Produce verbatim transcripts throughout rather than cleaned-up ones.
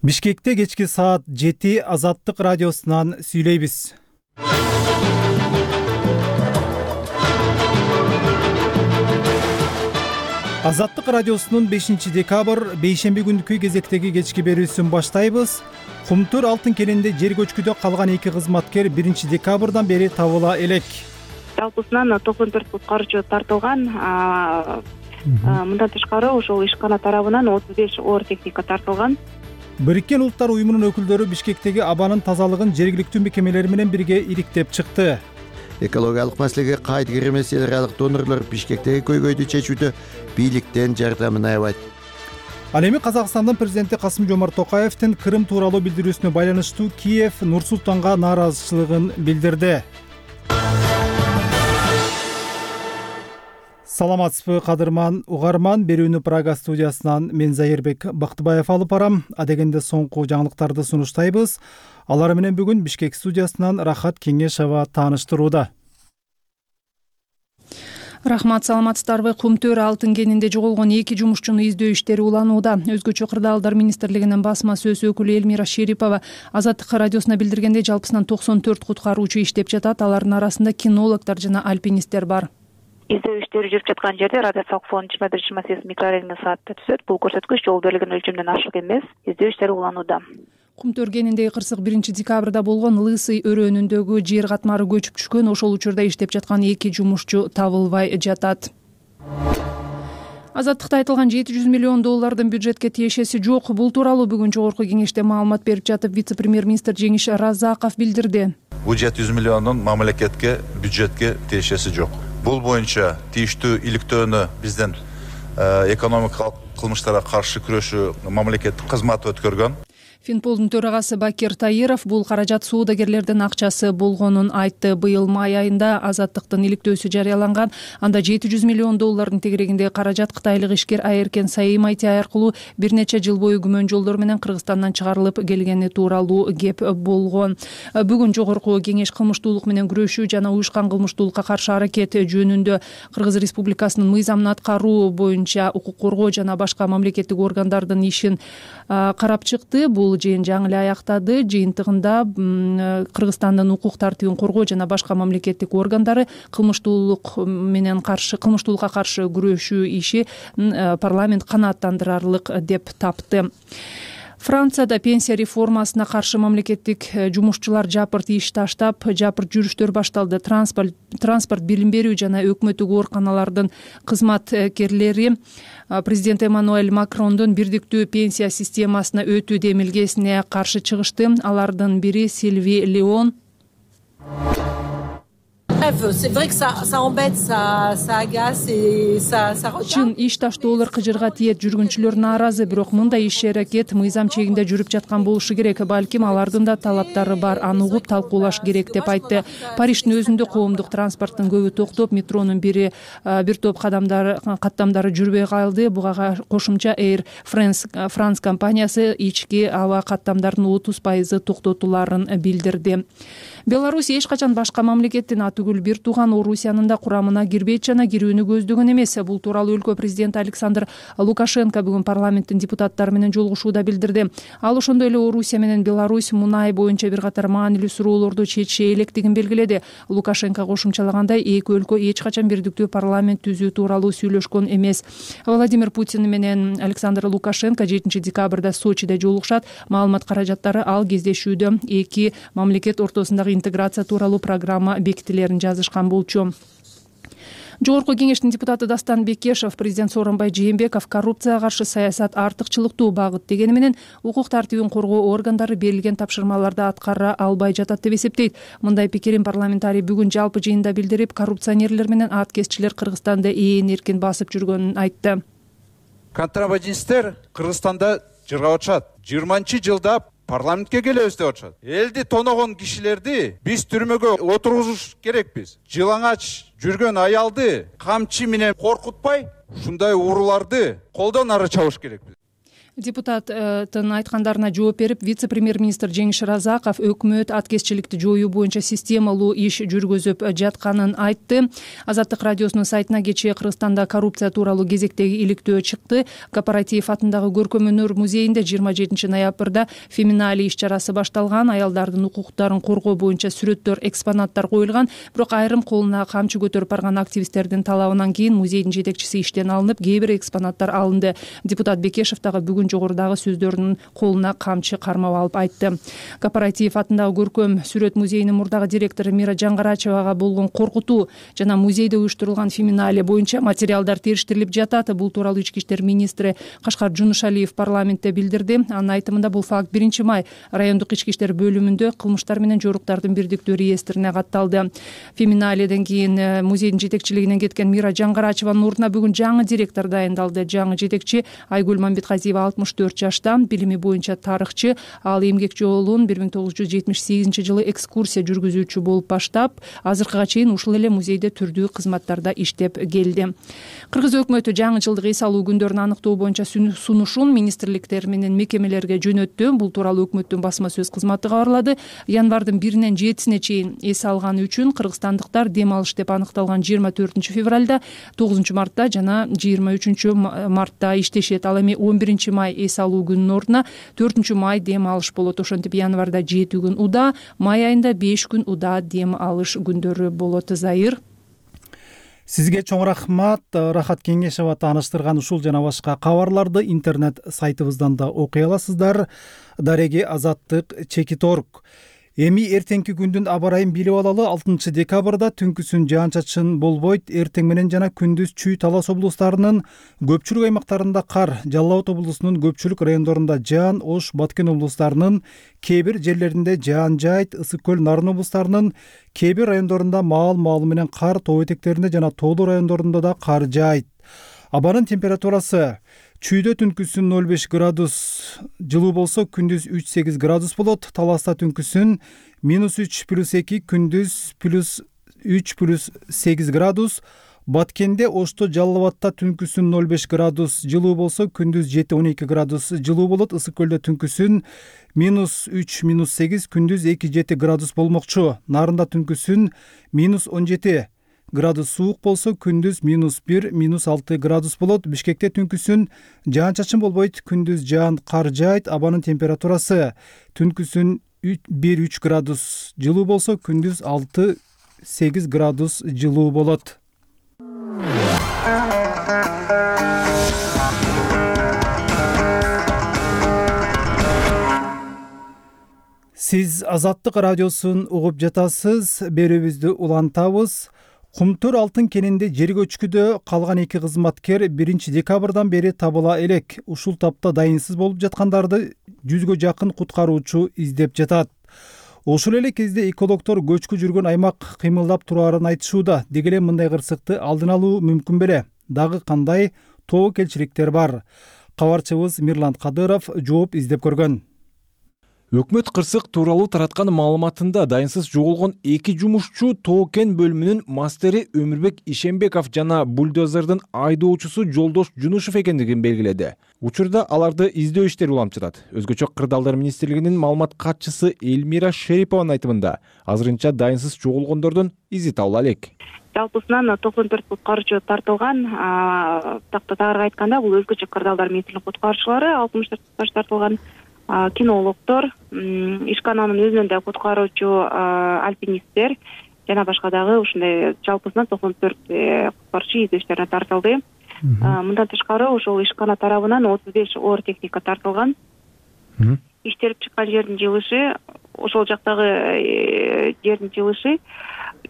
Бишкекте кечки саат жети Азаттык радиосунан сүйлөйбүз. Азаттык радиосунун бешинчи декабрь бейшемби күнкү кезектеги кечки берүүсүн баштайбыз. Кумтур алтын кенинде жер көчкүдө калган эки кызматкер биринчи декабрдан бери табыла элек. Жалпысынан токсон төрт куткаруучу тартылган. Мындан тышкары ошол ишкана тарабынан отуз беш оор техника тартылган. Бириккен Улуттар уюмунун өкүлдөрү Бишкектеги абанын тазалыгын жергиликтүү мекемелер менен бирге ириктеп чыкты. Экологиялык маселеге кайдыгер эмес эл аралык донорлор Бишкектеги көйгөйдү чечүүдө бийликтен жардамын аябайт. Ал эми Казакстандын президенти Касым-Жомарт Токаевдин Крым тууралуу билдирүүсүнө байланыштуу Киев Нур-Султанга нааразычылыгын билдирди. Саламатсызбы кадырман угарман, берүүнү Прага студиясынан мен Зайырбек Бактыбаев алып барам. Адегенде соңку жаңылыктарды сунуштайбыз. Алар менен бүгүн Бишкек студиясынан Рахат Кеңешова тааныштырууда. Рахмат, саламатсыздарбы. Кумтөр алтын кенинде жоголгон эки жумушчуну издөө иштери уланууда. Өзгөчө кырдаалдар министрлигинин басма сөз өкүлү Элмира Шерипова Азаттык радиосуна билдиргендей, жалпысынан токсон төрт куткаруучу иштеп жатат. Алардын арасында кинологдор жана альпинисттер бар. Издөө иштери жүрүп жаткан жерде радиациялык фон жыйырма бир жыйырма сегиз микрорентген саатта түзөт. Бул көрсөткүч жол берилген өлчөмдөн ашык эмес. Издөө иштери уланууда. Кумтөр кениндеги кырсык биринчи декабрда болгон Лысый өрөөнүндөгү жер катмары көчүп түшкөн. Ошол учурда иштеп жаткан эки жумушчу табылбай жатат. Азаттыкта айтылган жети жүз миллион доллардын бюджетке тиешеси жок. Бул тууралуу бүгүн жогорку кеңеште маалымат берип жатып, вице-премьер-министр Жеңиш Разаков билдирди. Бул жети жүз миллиондун мамлекетке, бюджетке тиешеси жок. Бул боюнча тийиштүү иликтөөнү бизден экономикалык кылмыштарга каршы күрөшүү мамлекеттик кызматы өткөргөн. Финполдун төрагасы Бакир Таиров бул каражат соодагерлердин акчасы болгонун айтты. Быйыл май айында Азаттыктын иликтөөсү жарыяланган. Анда жети жүз миллион доллардын тегерегиндеги каражат кытайлык ишкер Айеркен Саим Айтяй аркылуу бир нече жыл бою күмөн жолдор менен Кыргызстандан чыгарылып келгени тууралуу кеп болгон. Бүгүн жогорку кеңеш кылмыштуулук менен күрөшүү жана уюшкан кылмыштуулукка каршы аракет жөнүндө Кыргыз Республикасынын мыйзамын аткаруу боюнча укук коргоо жана башка мамлекеттик органдардын ишин карап чыкты. Бул жыйын жаңы эле аяктады. Жыйынтыгында Кыргызстандын укук тартибин коргоо жана башка мамлекеттик органдары кылмыштуулук менен каршы кылмыштуулукка каршы күрөшүү иши парламент канааттандырарлык деп тапты. Францияда пенсия реформасына каршы мамлекеттик жумушчулар жапырт иш таштап, жапырт жүрүштөр башталды. Транспорт, транспорт билим берүү жана өкмөттүк ооруканалардын кызматкерлери президент Эммануэль Макрондун бирдиктүү пенсия системасына өтүү демилгесине каршы чыгышты. Алардын бири Сильви Леон. Чын иш таштоолор кыжырга тиет, жүргүнчүлөр нааразы, бирок мындай иш аракет мыйзам чегинде жүрүп жаткан болушу керек. Балким алардын да талаптары бар, аны угуп талкуулаш керек деп айтты. Париштин өзүндө коомдук транспорттун көбү токтоп, метронун бири бир топ кадамдары каттамдары жүрбөй калды. Буга кошумча Air France компаниясы ички аба каттамдардын отуз пайызы токтотуларын билдирди. Беларусь эч качан башка мамлекеттин атүгүл бир тууган Орусиянын да курамына кирбейт жана кирүүнү көздөгөн эмес. Бул тууралуу өлкө президенти Александр Лукашенко бүгүн парламенттин депутаттары менен жолугушууда билдирди. Ал ошондой эле Орусия менен Беларусь мунай боюнча бир катар маанилүү суроолорду чечиши электигин белгиледи. Лукашенко кошумчалагандай, эки өлкө эч качан бирдиктүү парламент түзүү тууралуу сүйлөшкөн эмес. Владимир Путин менен Александр Лукашенко жетинчи декабрда Сочиде жолугушат. Маалымат каражаттары ал кездешүүдө эки мамлекет ортосундагы интеграция тууралуу программа бекитилерин жазышкан болчу. Жогорку кеңештин депутаты Дастан Бекешев президент Сооронбай Жээнбеков коррупцияга каршы саясат артыкчылыктуу багыт дегени менен укук тартибин коргоо органдары берилген тапшырмаларды аткара албай жатат деп эсептейт. Мындай пикирин парламентарий бүгүн жалпы жыйында билдирип, коррупционерлер менен аткезчилер Кыргызстанда ээн эркин басып жүргөнүн айтты. Контрабандисттер Кыргызстанда жыргап атышат. жыйырманчы жылда парламентке келебиз деп атышат. Элди тоногон кишилерди биз түрмөгө отургузуш керекпиз. Жылаңач жүргөн аялды камчы менен коркутпай, ушундай ууруларды колдон ары чабыш керекпиз. Депутаттын айткандарына жооп берип, вице-премьер-министр Жеңиш Разаков өкмөт аткезчиликти жоюу боюнча системалуу иш жүргүзүп жатканын айтты. Азаттык радиосунун сайтына кечээ Кыргызстанда коррупция тууралуу кезектеги иликтөө чыкты. Кооператив атындагы Көркөм өнөр музейинде жыйырма жетинчи ноябрда феминале иш-чарасы башталган. Аялдардын укуктарын коргоо боюнча сүрөттөр, экспонаттар коюлган. Бирок айрым колуна камчы көтөрүп барган активисттердин талабынан кийин музейдин жетекчиси иштен алынып, кээ бир экспонаттар алынды. Депутат Бекешев дагы бүгүн жогорудагы сөздөрүнүн колуна камчы кармап алып айтты. Кооператив атындагы Көркөм сүрөт музейинин мурдагы директору Мира Жаңгарачевага болгон коркутуу жана музейде уюштурулган феминале боюнча материалдар териштирилип жатат. Бул тууралуу ички иштер министри Кашкар Жунушалиев парламентте билдирди. Анын айтымында бул факт биринчи май райондук ички иштер бөлүмүндө кылмыштар менен жоруктардын бирдиктүү реестрине катталды. Феминаледен кийин музейдин жетекчилигинен кеткен Мира Жаңгарачеванын ордуна бүгүн жаңы директор дайындалды. Жаңы жетекчи Айгүл Мамбетказиева алтымыш төрт жашта, билими боюнча тарыхчы. Ал эмгек жолун бир миң тогуз жүз жетимиш сегизинчи жылы экскурсия жүргүзүүчү болуп баштап, азыркыга чейин ушул эле музейде түрдүү кызматтарда иштеп келди. Кыргыз өкмөтү жаңы жылдык эс алуу күндөрүн аныктоо боюнча сунушун министрликтер менен мекемелерге жөнөттү. Бул тууралуу өкмөттүн басма сөз кызматы кабарлады. Январдын биринен жетисине чейин эс алганы үчүн кыргызстандыктар дем алыш деп аныкталган жыйырма төртүнчү февралда, тогузунчу мартта жана жыйырма үчүнчү мартта иштешет. Ал эми он биринчи май эс алуу күнүнүн ордуна төртүнчү май дем алыш болот. Ошентип январда жети күн удаа, май айында беш күн удаа дем алыш күндөрү болот. Зайыр. Сизге чоң рахмат. Рахат Кеңешева тааныштырган ушул жана башка кабарларды интернет сайтыбыздан да окуй аласыздар. Дареги Азаттык чекит точка орг. Эми эртеңки күндүн аба ырайын билип алалы. алтынчы декабрда түнкүсүн жаан-чачын болбойт. Эртең менен жана күндүз Чүй, Талас облустарынын көпчүлүк аймактарында кар, Жалал Абад облусунун көпчүлүк райондорунда жаан, Ош, Баткен облустарынын кээ бир жерлеринде жаан жайт, Ысык көл, Нарын облустарынын кээ бир райондорунда маал-маалы менен кар, тоо этектеринде жана тоолуу райондорунда да кар жаайт. Абанын температурасы Чүйдө түнкүсүн ноль беш градус жылуу болсо, күндүз үч сегиз градус болот. Таласта түнкүсүн минус үч плюс эки, күндүз плюс үч плюс сегиз градус. Баткенде, Ошто, Жалал Абадта түнкүсүн ноль беш градус жылуу болсо, күндүз жети он эки градус жылуу болот. Ысык көлдө түнкүсүн минус үч минус сегиз, күндүз эки жети градус болмокчу. Нарында түнкүсүн минус он жети градус суук болсо, күндүз минус бир минус алты градус болот. Бишкекте түнкүсүн жаан-чачын болбойт, күндүз жаан, кар жаайт. Абанын температурасы түнкүсүн бир үч градус жылуу болсо, күндүз алты сегиз градус жылуу болот. Сиз Азаттык радиосун угуп жатасыз. Берүүбүздү улантабыз. Кумтөр алтын кенинде жер көчкүдө калган эки кызматкер биринчи декабрдан бери табыла элек. Ушул тапта дайынсыз болуп жаткандарды жүзгө жакын куткаруучу издеп жатат. Ошол эле кезде экологдор көчкү жүргөн аймак кыймылдап тураарын айтышууда. Деги эле мындай кырсыкты алдын алуу мүмкүн беле? Дагы кандай тобокелчиликтер бар? Кабарчыбыз Мирлан Кадыров жооп издеп көргөн. Өкмөт кырсык тууралуу тараткан маалыматында дайынсыз жоголгон эки жумушчу Тоо кен бөлүмүнүн мастери Өмүрбек Ишембеков жана бульдозердин айдоочусу Жолдош Жунушев экендигин белгиледи. Учурда аларды издөө иштери уланып жатат. Өзгөчө Кырдаалдар министрлигинин маалымат катчысы Элмира Шерипованын айтымында азырынча дайынсыз жоголгондордун изи табыла элек. Жалпысынан токсон төрт куткаруучу тартылган. Тактагы айтканда, бул өзгөчө Кырдаалдар министрлигинин куткаруучулары, алтымыш төрт куткаруучу тартылган. Кинологдор, ишкананын өзүнөн да куткаруучу альпинисттер жана башка дагы ушундай жалпысынан токсон төрт куткаруучу издөө иштерине тартылды. Мындан тышкары ошол ишкана тарабынан отуз беш оор техника тартылган. Иштелип чыккан жердин жылышы, ошол жактагы жердин жылышы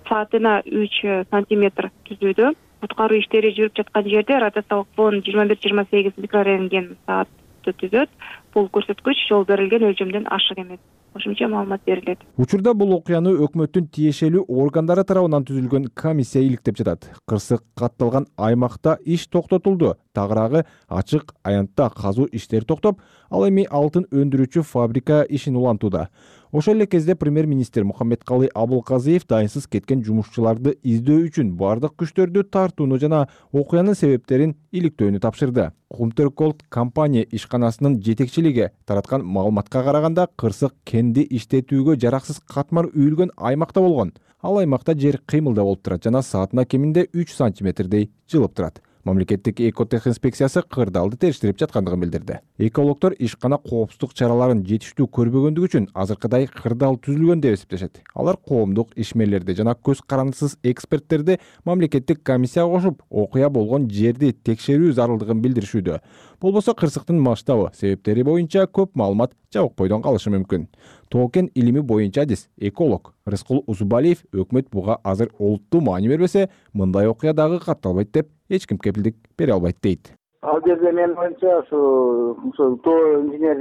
саатына үч сантиметр түзүүдө. Куткаруу иштери жүрүп жаткан жерде радиациялык фон жыйырма бир жыйырма сегиз микрорентген саат түзөт. Бул көрсөткүч жол берилген өлчөмдөн ашык эмес. Кошумча маалымат берилет. Учурда бул окуяны өкмөттүн тиешелүү органдары тарабынан түзүлгөн комиссия иликтеп жатат. Кырсык катталган аймакта иш токтотулду. тагыраагы ачык аянтта казуу иштери токтоп, ал эми алтын өндүрүүчү фабрика ишин улантууда. Ошол эле кезде премьер-министр Мухаммедкалый Абылказиев дайынсыз кеткен жумушчуларды издөө үчүн бардык күчтөрдү тартууну жана окуянын себептерин иликтөөнү тапшырды. Кумтөр Голд компания ишканасынын жетекчилиги тараткан маалыматка караганда, кырсык кенди иштетүүгө жараксыз катмар үйүлгөн аймакта болгон. Ал аймакта жер кыймылда болуп турат жана саатына кеминде үч сантиметрдей жылып турат. Мамлекеттик экотехинспекциясы кырдаалды териштирип жаткандыгын билдирди. Экологдор ишкана коопсуздук чараларын жетиштүү көрбөгөндүгү үчүн азыркыдай кырдаал түзүлгөн деп эсептешет. Алар коомдук ишмерлерди жана көз карандысыз эксперттерди мамлекеттик комиссияга кошуп, окуя болгон жерди текшерүү зарылдыгын билдиришүүдө. Болбосо кырсыктын масштабы, себептери боюнча көп маалымат жабыкпойдон калышы мүмкүн. Тоо-кен илими боюнча адис эколог Рыскул Узубалиев өкмөт буга азыр олуттуу маани бербесе, мындай окуя дагы катталбайт деп эч ким кепилдик бере албайт дейт. Ал жерде менин оюмча ошо тоо инженер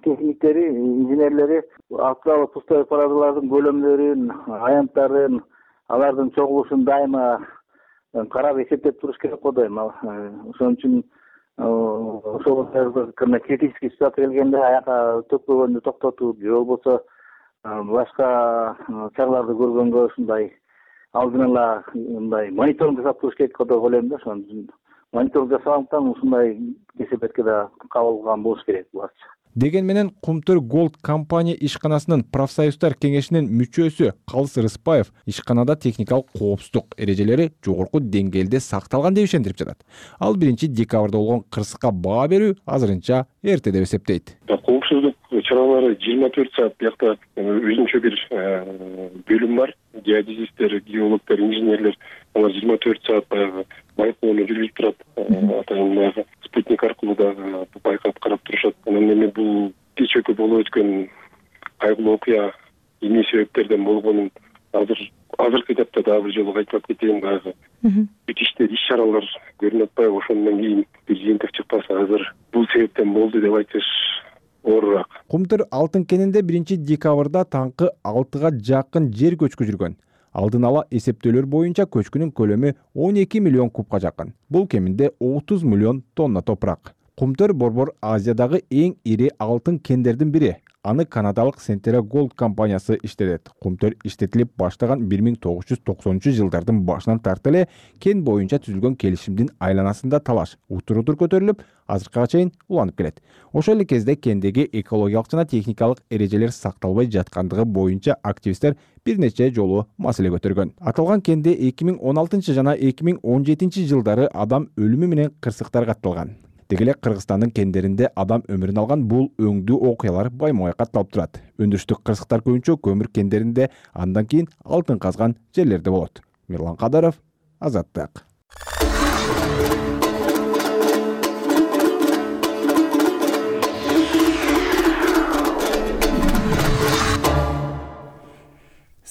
техниктери, инженерлери актуалдуу пустой парадалардын көлөмдөрүн, аянттарын, алардын чогулушун дайыма карап эсептеп туруш керек го дейм. Ошон үчүн ошол критический ситуация келгенде аяка төкпөгөндү токтотуп, же болбосо башка чараларды көргөнгө ушундай алдын ала мындай мониторинг жасап туруш керек деп ойлойм да. Ошон үчүн мониторинг жасагандыктан ушундай кесепетке да кабылган болуш керек буларчы. Деген менен Кумтөр Голд компания ишканасынын профсоюздар кеңешинин мүчөсү Калыс Рыспаев ишканада техникалык коопсуздук эрежелери жогорку деңгээлде сакталган деп ишендирип жатат. Ал биринчи декабрда болгон кырсыкка баа берүү азырынча эрте деп эсептейт. Коопсуздук чаралары жыйырма төрт саат биякта өзүнчө бир бөлүм бар. Геодезисттер, геологдор, инженерлер алар жыйырма төрт саат баягы байкоону жүргүзүп турат. Атайын баягы спутник аркылуу дагы байкап карап турушат. Анан эми бул кечээкү болуп өткөн кайгылуу окуя эмне себептерден болгонун азыр азыркы этапта дагы бир жолу кайталап кетейин, баягы бүтүштөр, иш-чаралар көрүнүп атпайбы? Ошондон кийин бир жыйынтык чыкпаса азыр бул себептен болду деп айтыш оорураак. Кумтөр алтын кенинде биринчи декабрда таңкы алтыга жакын жер көчкү жүргөн. Алдын ала эсептөөлөр боюнча көчкүнүн көлөмү он эки миллион кубка жакын. Бул кеминде отуз миллион тонна топурак. Кумтөр Борбор Азиядагы эң ири алтын кендердин бири. Аны канадалык Centera Gold компаниясы иштетет. Кумтөр иштетилип баштаган бир миң тогуз жүз токсонунчу жылдардын башынан тарта эле кен боюнча түзүлгөн келишимдин айланасында талаш утур-утур көтөрүлүп, азыркыга чейин уланып келет. Ошол эле кезде кендеги экологиялык жана техникалык эрежелер сакталбай жаткандыгы боюнча активисттер бир нече жолу маселе көтөргөн. Аталган кенде эки миң он алтынчы жана эки миң он жетинчи жылдары адам өлүмү менен кырсыктар катталган. Деги эле Кыргызстандын кендеринде адам өмүрүн алган бул өңдүү окуялар байма-бай катталып турат. Өндүрүштүк кырсыктар көбүнчө көмүр кендеринде, андан кийин алтын казган жерлерде болот. Мирлан Кадаров, Азаттык.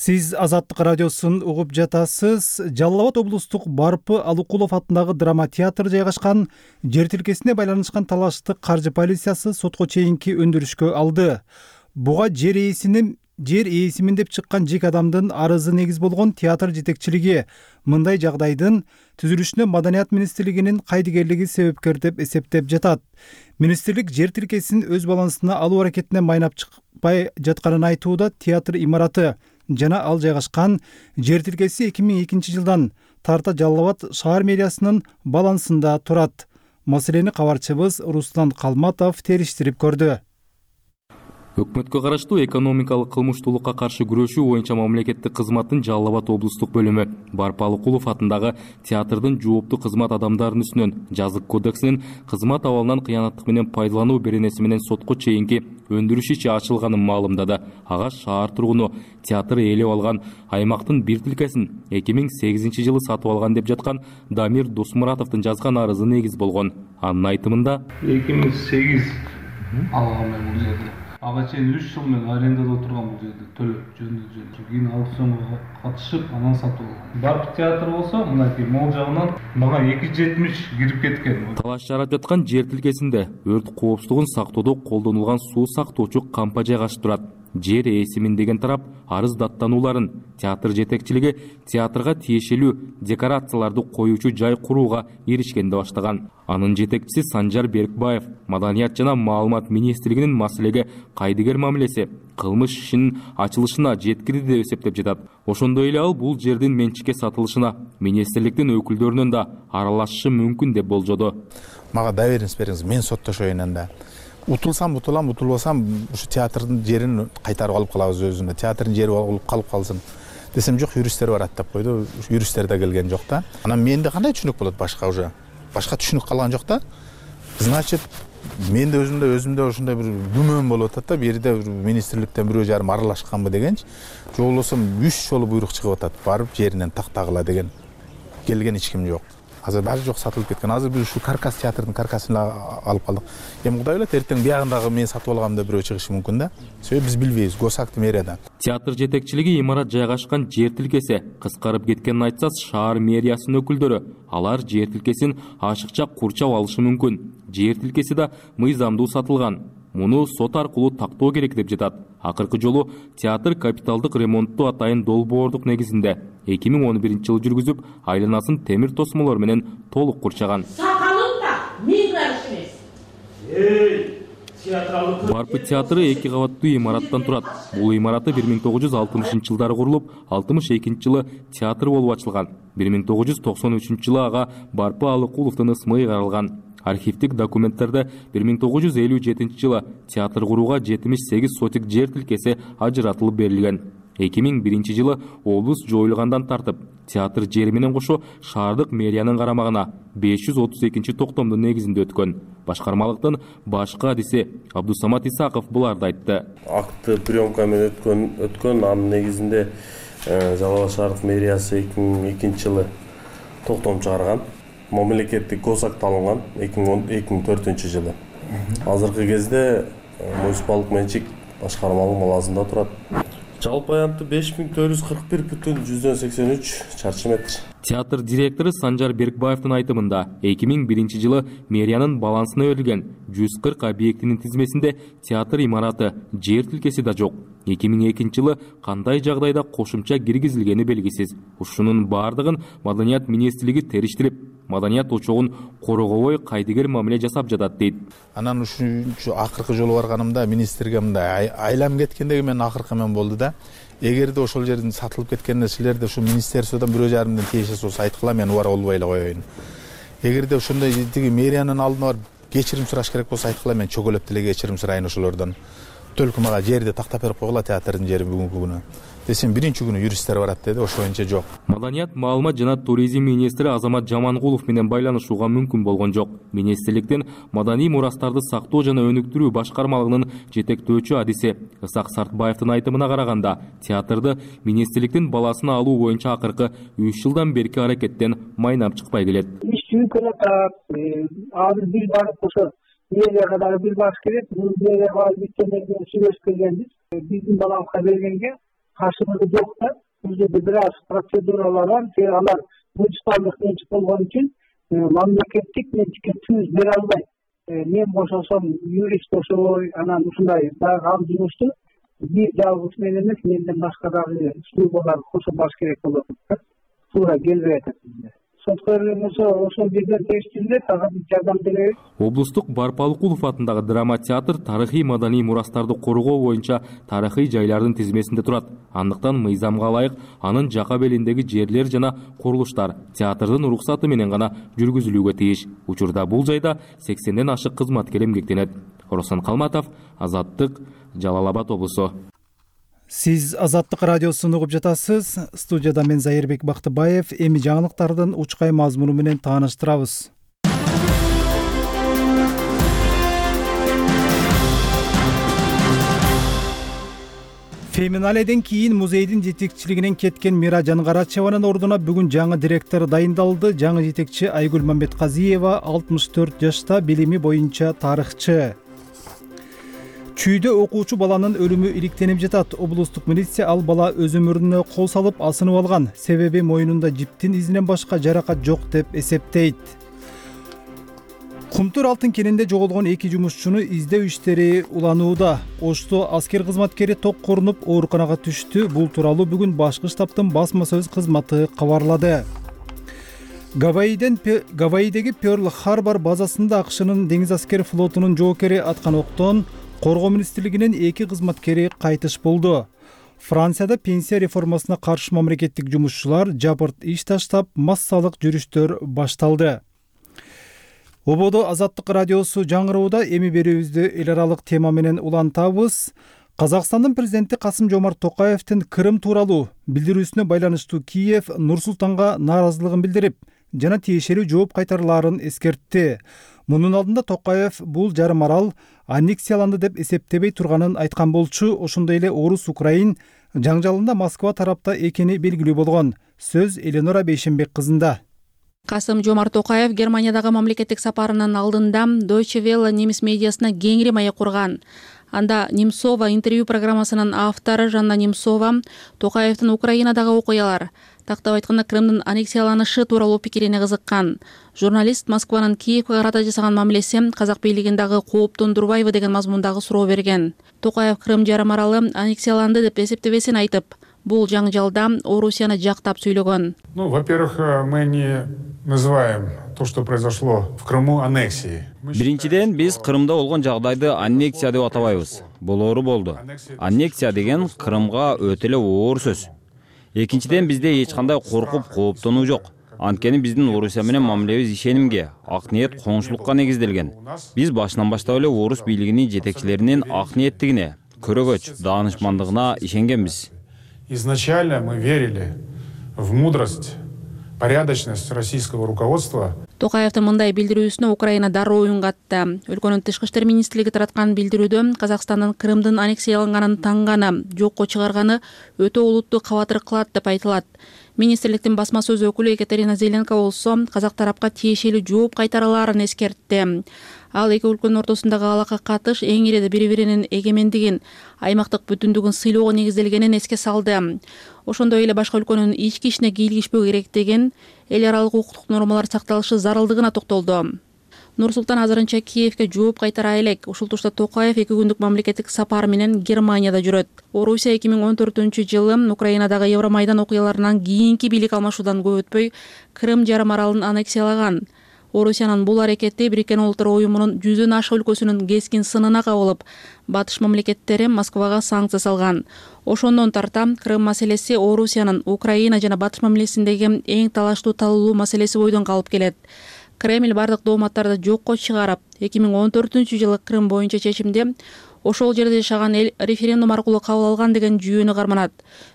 Сиз Азаттык радиосун угуп жатасыз. Жалал Абад облустук Барпы Алыкулов атындагы драма театр жайгашкан жер тилкесине байланышкан талашты каржы полициясы сотко чейинки өндүрүшкө алды. Буга жер ээсинин жер ээсимин деп чыккан жеке адамдын арызы негиз болгон театр жетекчилиги мындай жагдайдын түзүлүшүнө Маданият министрлигинин кайдыгерлиги себепкер деп эсептеп жатат. Министрлик жер тилкесин өз балансына алуу аракетине майнап чыкпай жатканын айтууда. Театр имараты жана ал жайгашкан жер тилкеси эки миң экинчи жылдан тарта Жалал Абад шаар мэриясынын балансында турат. Маселени кабарчыбыз Руслан Калматов териштирип көрдү. Өкмөткө караштуу экономикалык кылмыштуулукка каршы күрөшүү боюнча мамлекеттик кызматтын Жалал Абад облустук бөлүмү Барпы Алыкулов атындагы театрдын жооптуу кызмат адамдарынын үстүнөн жазык кодексинин кызмат абалынан кыянаттык менен пайдалануу беренеси менен сотко чейинки өндүрүш иши ачылганын маалымдады. Ага шаар тургуну театр ээлеп алган аймактын бир тилкесин эки миң сегизинчи жылы сатып алган деп жаткан Дамир Досмуратовдун жазган арызы негиз болгон. Анын айтымында эки миң сегиз алган мен бул жерде. Ага чейин үч жыл мен арендада отурган бул жерде, төлөп жөндөө жөнүп. Кийин аукционго катышып, анан сатып алган. Барпы театр болсо, мынакей могул жагынан мага эки жүз жетимиш кирип кеткен. Талаш жарап жаткан жер тилкесинде өрт коопсуздугун сактоодо колдонулган суу сактоочу кампа жайгашып турат. жер ээсимин деген тарап арыз даттанууларын, театр жетекчилиги театрга тиешелүү декорацияларды коюучу жай курууга иришкенди баштаган. Анын жетекчиси Санжар Беркбаев Маданият жана маалымат министрлигинин маселеге кайдыгер мамилеси кылмыш ишинин ачылышына жеткирди деп эсептеп жатат. Ошондой эле ал бул жердин менчикке сатылышына министрликтин өкүлдөрүнүн да аралашышы мүмкүн деп болжоду. Мага доверенность бериңиз, мен соттошоюн анда. Утулсам утулам, утулбасам ушу театрдын жерин кайтарып алып калабыз өзүнө. Театрдын жери болуп калып калсын десем, жок, юристтер бар аттап койду. Юристтер да келген жок да. Анан менде кандай түшүнүк болот башка уже? Башка түшүнүк калган жок да. Значит, менде өзүмдө өзүмдө ушундай бир күмөн болуп атат да, бир жерде министрликтен бирөө жарым аралашканбы дегенчи. Жок болбосо үч жолу буйрук чыгып атат, барып жеринен тактагыла деген. Келген эч ким жок. Азыр баары жок, сатылып кеткен. Азыр биз ушу каркас театрдын каркасын алып калдык. Эми Кудай билет, эртең биягындагы мен сатып алгам деп бирөө чыгышы мүмкүн да. Себеби биз билбейбиз, госакты мэрияда. Театр жетекчилиги имарат жайгашкан жер тилкеси кыскарып кеткенин айтса, шаар мэриясынын өкүлдөрү алар жер тилкесин ашыкча курчап алышы мүмкүн. Жер тилкеси да мыйзамдуу сатылган. Муну сот аркылуу тактоо керек деп жатат. Акыркы жолу театр капиталдык ремонтту атайын долбоордук негизинде эки миң он биринчи жылы жүргүзүп, айланасын темир тосмолор менен толук курчаган. Сакалым да миң караш эмес. Барпы театры эки кабаттуу имараттан турат. Бул имараты бир миң тогуз жүз алтымышынчы жылдары курулуп, алтымыш экинчи жылы театр болуп ачылган. бир миң тогуз жүз токсон үчүнчү жылы ага Барпы Алыкуловдун ысмы ыйгарылган. Архивдик документтерде бир миң тогуз жүз элүү жетинчи жылы театр курууга жетимиш сегиз сотик жер тилкеси ажыратылып берилген. эки миң биринчи жылы облус жоюлгандан тартып, театр жери менен кошо шаардык мэриянын карамагына беш жүз отуз экинчи токтомдун негизинде өткөн. Башкармалыктын башкы адиси Абдусамат Исаков буларды айтты. Акты приемка менен өткөн, өткөн анын негизинде Жалал Абад шаардык мэриясы эки миң экинчи жылы токтом чыгарган. Мамлекеттик госакт алынган эки миң төртүнчү жылы. Азыркы кезде муниципалдык менчик башкармалык малазында турат. Жалпы аянты беш миң төрт жүз кырк бир бүтүн жүздөн сексен үч чарчы метр. Театр директору Санжар Беркбаевдин айтымында эки миң биринчи жылы мэриянын балансына берилген жүз кырк объектинин тизмесинде театр имараты, жер тилкеси да жок. эки миң экинчи жылы кандай жагдайда кошумча киргизилгени белгисиз. Ушунун бардыгын Маданият министрлиги териштирип, маданият очогун коргобой кайдыгер мамиле жасап жатат дейт. Анан ушунчу акыркы жолу барганымда министрге мындай айлам кеткендеги мен акыркы мен болду да. Эгерде ошол жердин сатылып кеткенине силерде ушу министерстводон бирөө жарымдан тиешеси болсо айткыла, мен убара болбой эле коеюн. Эгерде ошондой тиги мэриянын алдына барып кечирим сураш керек болсо айткыла, мен чөгөлөп деле кечирим сурайын ошолордон. Төлкү мага жерди тактап берип койгула театрдын жери бүгүнкү күнү. Десем биринчи күнү юристтер барат деди, ошо боюнча жок. Маданият, маалымат жана туризм министри Азамат Жамангулов менен байланышууга мүмкүн болгон жок. Министрликтин маданий мурастарды сактоо жана өнүктүрүү башкармалыгынын жетектөөчү адиси Ысак Сартбаевдин айтымына караганда, театрды министрликтин баласына алуу боюнча акыркы үч жылдан берки аракеттен майнап чыкпай келет. Иш жүргөн атат, азыр бир барып ошо мэрияга дагы бир барыш керек. Бул мэрияга биткенден кийин сүйлөшүп келгенбиз. Биздин баламызга бергенге каршылыгы жок да. Бул жерде бир аз процедуралар бар. Алар муниципалдык менчик болгон үчүн мамлекеттик менчикке түз бере албайт. Мен бошосом юрист ошой, анан ушундай дагы ал жумушту бир жалгыз мен эмес, менден башка дагы службалар кошо баш керек болот. Туура келбей атат бизде. Сотко берген болсо ошол жерден териштирилет, ага биз жардам беребиз. Облустук Барпы Алыкулов атындагы драма театр тарыхый маданий мурастарды коргоо боюнча тарыхый жайлардын тизмесинде турат. Андыктан мыйзамга ылайык анын жака белиндеги жерлер жана курулуштар театрдын уруксаты менен гана жүргүзүлүүгө тийиш. Учурда бул жайда сексенден ашык кызматкер эмгектенет. Оросон Калматов, Азаттык, Жалал Абад облусу. Сиз Азаттык радиосун угуп жатасыз. Студияда мен Зайырбек Бактыбаев. Эми жаңылыктардын учкай мазмуну менен тааныштырабыз. Феминаледен кийин музейдин жетекчилигинен кеткен Миражан Карачеванын ордуна бүгүн жаңы директор дайындалды. Жаңы жетекчи Айгүл Мамбетказиева алтымыш төрт жашта, билими боюнча тарыхчы. Чүйдө окуучу баланын өлүмү иликтенип жатат. Облустук милиция ал бала өз өмүрүнө кол салып асынып алган. Себеби моюнунда жиптин изинен башка жаракат жок деп эсептейт. Кумтур алтын кенинде жоголгон эки жумушчуну издөө иштери уланууда. Ошто аскер кызматкери ток корунуп ооруканага түштү. Бул тууралуу бүгүн башкы штабтын басма сөз кызматы кабарлады. Гавайиден Гавайидеги Перл Харбор базасында АКШнын деңиз аскер флотунун жоокери аткан октон коргоо министрлигинин эки кызматкери кайтыш болду. Францияда пенсия реформасына каршы мамлекеттик жумушчулар жапырт иш таштап, массалык жүрүштөр башталды. Ободо Азаттык радиосу жаңырууда. Эми берүүбүздү эл аралык тема менен улантабыз. Казакстандын президенти Касым-Жомарт Токаевдин Крым тууралуу билдирүүсүнө байланыштуу Киев Нур-Султанга нааразылыгын билдирип, жана тиешелүү жооп кайтарылаарын эскертти. Мунун алдында Токаев бул жарым арал аннексияланды деп эсептебей турганын айткан болчу. Ошондой эле Орус-Украин жаңжалында Москва тарапта экени белгилүү болгон. Сөз Эленора Бейшенбек кызында. Касым-Жомарт Токаев Германиядагы мамлекеттик сапарынын алдында Deutsche Welle немис медиасына кеңири маек курган. Анда Немцова интервью программасынын автору Жанна Немцова Токаевдин Украинадагы окуялар, тактап айтканда Крымдын аннексияланышы тууралуу пикирине кызыккан. Журналист Москванын Киевге карата жасаган мамилеси казак бийлигин дагы кооптондурбайбы деген мазмундагы суроо берген. Токаев Крым жарым аралы аннексияланды деп эсептебесин айтып, бул жаңжалда Орусияны жактап сүйлөгөн. Ну, во-первых, мы не называем то, что произошло в Крыму, аннексией. Биринчиден, биз Крымда болгон жагдайды аннексия деп атабайбыз. Бул оору болду. Аннексия деген Крымга өтө эле оор сөз. Экинчиден, бизде эч кандай коркуп, кооптонуу жок. Анткени биздин Орусия менен мамилебиз ишенимге, ак ниет, коңшулукка негизделген. Биз башынан баштап эле орус бийлигинин жетекчилеринин ак ниеттигине, көрөгөч, даанышмандыгына ишенгенбиз. Изначально мы верили в мудрость, порядочность российского руководства. Токаевдин мындай билдирүүсүнө Украина дароо оюн катты. Өлкөнүн тышкы иштер министрлиги тараткан билдирүүдө Казакстандын Крымдын аннексияланганын таңганы, жокко чыгарганы өтө олуттуу кабатыр кылат деп айтылат. Министрликтин басма сөз өкүлү Екатерина Зеленко болсо казак тарапка тиешелүү жооп кайтарылаарын эскертти. Ал эки өлкөнүн ортосундагы алака катыш эң иреде бири-биринин эгемендигин, аймактык бүтүндүгүн сыйлоого негизделгенин эске салды. Ошондой эле башка өлкөнүн ички ишине кийлигишпөө керектигин, эл аралык укуктук нормалар сакталышы зарылдыгына токтолду. Нур-Султан азырынча Киевге жооп кайтара элек. Ушул турда Токаев эки күндүк мамлекеттик сапар менен Германияда жүрөт. Орусия эки миң он төртүнчү жылы Украинадагы Евромайдан окуяларынан кийинки бийлик алмашуудан көп өтпөй Крым жарым аралын аннексиялаган. Орусиянын бул аракети Бириккен Улуттар Уюмунун жүздөн ашык өлкөсүнүн кескин сынына кабылып, батыш мамлекеттери Москвага санкция салган. Ошондон тарта Крым маселеси Орусиянын Украина жана батыш мамилесиндеги эң талаштуу талуулуу маселеси бойдон калып келет. Кремль бардык дооматтарды жокко чыгарып, эки миң он төртүнчү жылы Крым боюнча чечимди ошол жерде жашаган эл референдум аркылуу кабыл алган деген жүйөнү карманат.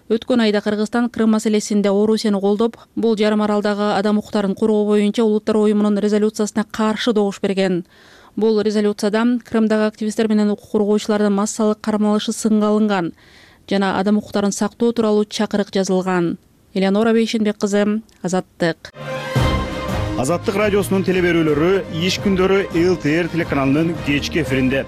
Өткөн айда Кыргызстан Крым маселесинде Орусияны колдоп, бул жарым аралдагы адам укуктарын коргоо боюнча Улуттар Уюмунун резолюциясына каршы добуш берген. Бул резолюцияда Крымдагы активисттер менен укук коргоочулардын массалык кармалышы сынга алынган жана адам укуктарын сактоо тууралуу чакырык жазылган. Эленора Бейшенбек кызы, Азаттык. Азаттык радиосунун телеберүүлөрү иш күндөрү эл тэ эр телеканалынын кечки эфиринде.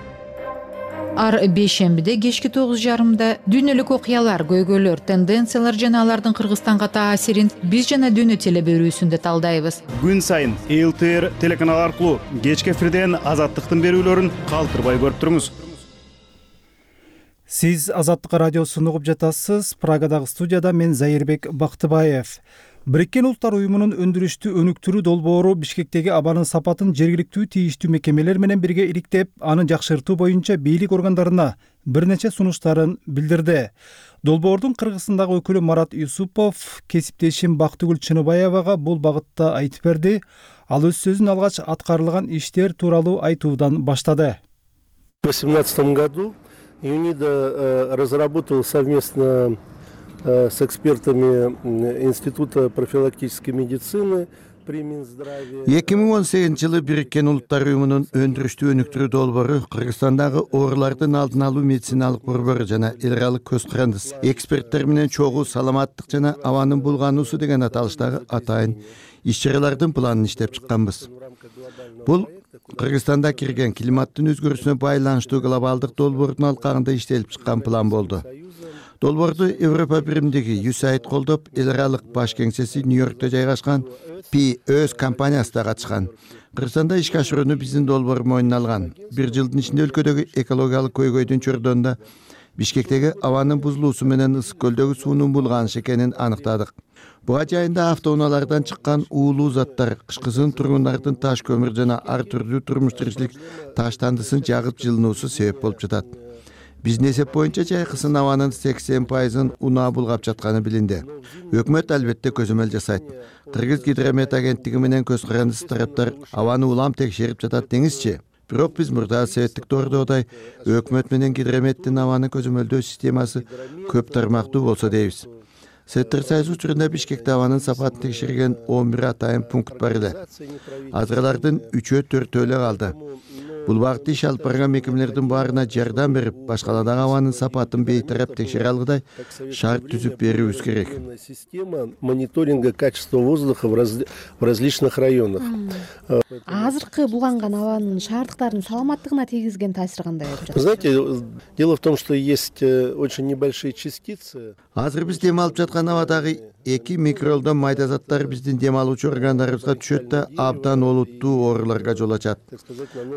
Ар бейшембиде кечки тогуз жарымда дүйнөлүк окуялар, көйгөйлөр, тенденциялар жана алардын Кыргызстанга таасирин биз жана дүйнө телеберүүсүндө талдайбыз. Күн сайын эл тэ эр телеканалы аркылуу кечки эфирден Азаттыктын берүүлөрүн калтырбай көрүп туруңуз. Сиз Азаттык радиосун угуп жатасыз. Прагадагы студияда мен Зайырбек Бактыбаев. Бириккен Улуттар Уюмунун өндүрүштү өнүктүрүү долбоору Бишкектеги абанын сапатын жергиликтүү тийиштүү мекемелер менен бирге иликтеп, аны жакшыртуу боюнча бийлик органдарына бир нече сунуштарын билдирди. Долбоордун Кыргызстандагы өкүлү Марат Юсупов кесиптешим Бактыгүл Чыныбаевага бул багытта айтып берди. Ал өз сөзүн алгач аткарылган иштер тууралуу айтуудан баштады. В две тысячи восемнадцатом году ЮНИДО разработал совместно с экспертами Института профилактической медицины при Минздраве. эки миң он сегизинчи жылы Бириккен Улуттар Уюмунун өндүрүштү өнүктүрүү долбоору Кыргызстандагы оорулардын алдын алуу медициналык борбору жана эл аралык көз карандыс эксперттер менен чогуу саламаттык жана абанын булгануусу деген аталыштагы атайын иш-чаралардын планын иштеп чыкканбыз. Бул Кыргызстанда кирген климаттын өзгөрүүсүнө байланыштуу глобалдык долбоордун алкагында иштелип чыккан план болду. Долбоорду Европа биримдиги ю эс эй ай ди колдоп, эл аралык баш кеңсеси Нью-Йоркто жайгашкан пи өз компаниясы да катышкан. Кыргызстанда ишке ашырууну биздин долбоор мойнуна алган. Бир жылдын ичинде өлкөдөгү экологиялык көйгөйдүн чордонунда Бишкектеги абанын бузулуусу менен Ысык көлдөгү суунун булганышы экенин аныктадык. Буга жайында автоунаалардан чыккан уулуу заттар кышкысын тургундардын таш көмүр жана ар түрдүү турмуш тиричилик таштандысын жагып жылынуусу себеп болуп жатат. Биздин эсеп боюнча жайкысын абанын сексен пайызын унаа булгап жатканы билинди. Өкмөт албетте көзөмөл жасайт. Кыргыз гидромет агенттиги менен көз карандысыз тараптар абаны улам текшерип жатат деңизчи. Бирок биз мурда советтик доордогудай өкмөт менен гидрометтин абаны көзөмөлдөө системасы көп тармактуу болсо дейбиз. Советтер союзу учурунда Бишкекте абанын сапатын текшерген он бир атайын пункт бар эле. Азырлардын үчөө төртөө эле калды. Бул багытта иш алып барган мекемелердин баарына жардам берип, башкаладагы абанын сапатын бейтарап текшере алгыдай шарт түзүп берүүбүз керек. Система мониторинга качества воздуха в различных районах. Азыркы булганган абанын шаардыктардын саламаттыгына тийгизген таасири кандай болуп жатат? Знаете, дело в том, что есть очень небольшие частицы. Азыр биз дем алып жаткан абадагы эки микролдон майда заттар биздин дем алуучу органдарыбызга түшөт да абдан олуттуу ооруларга жол ачат.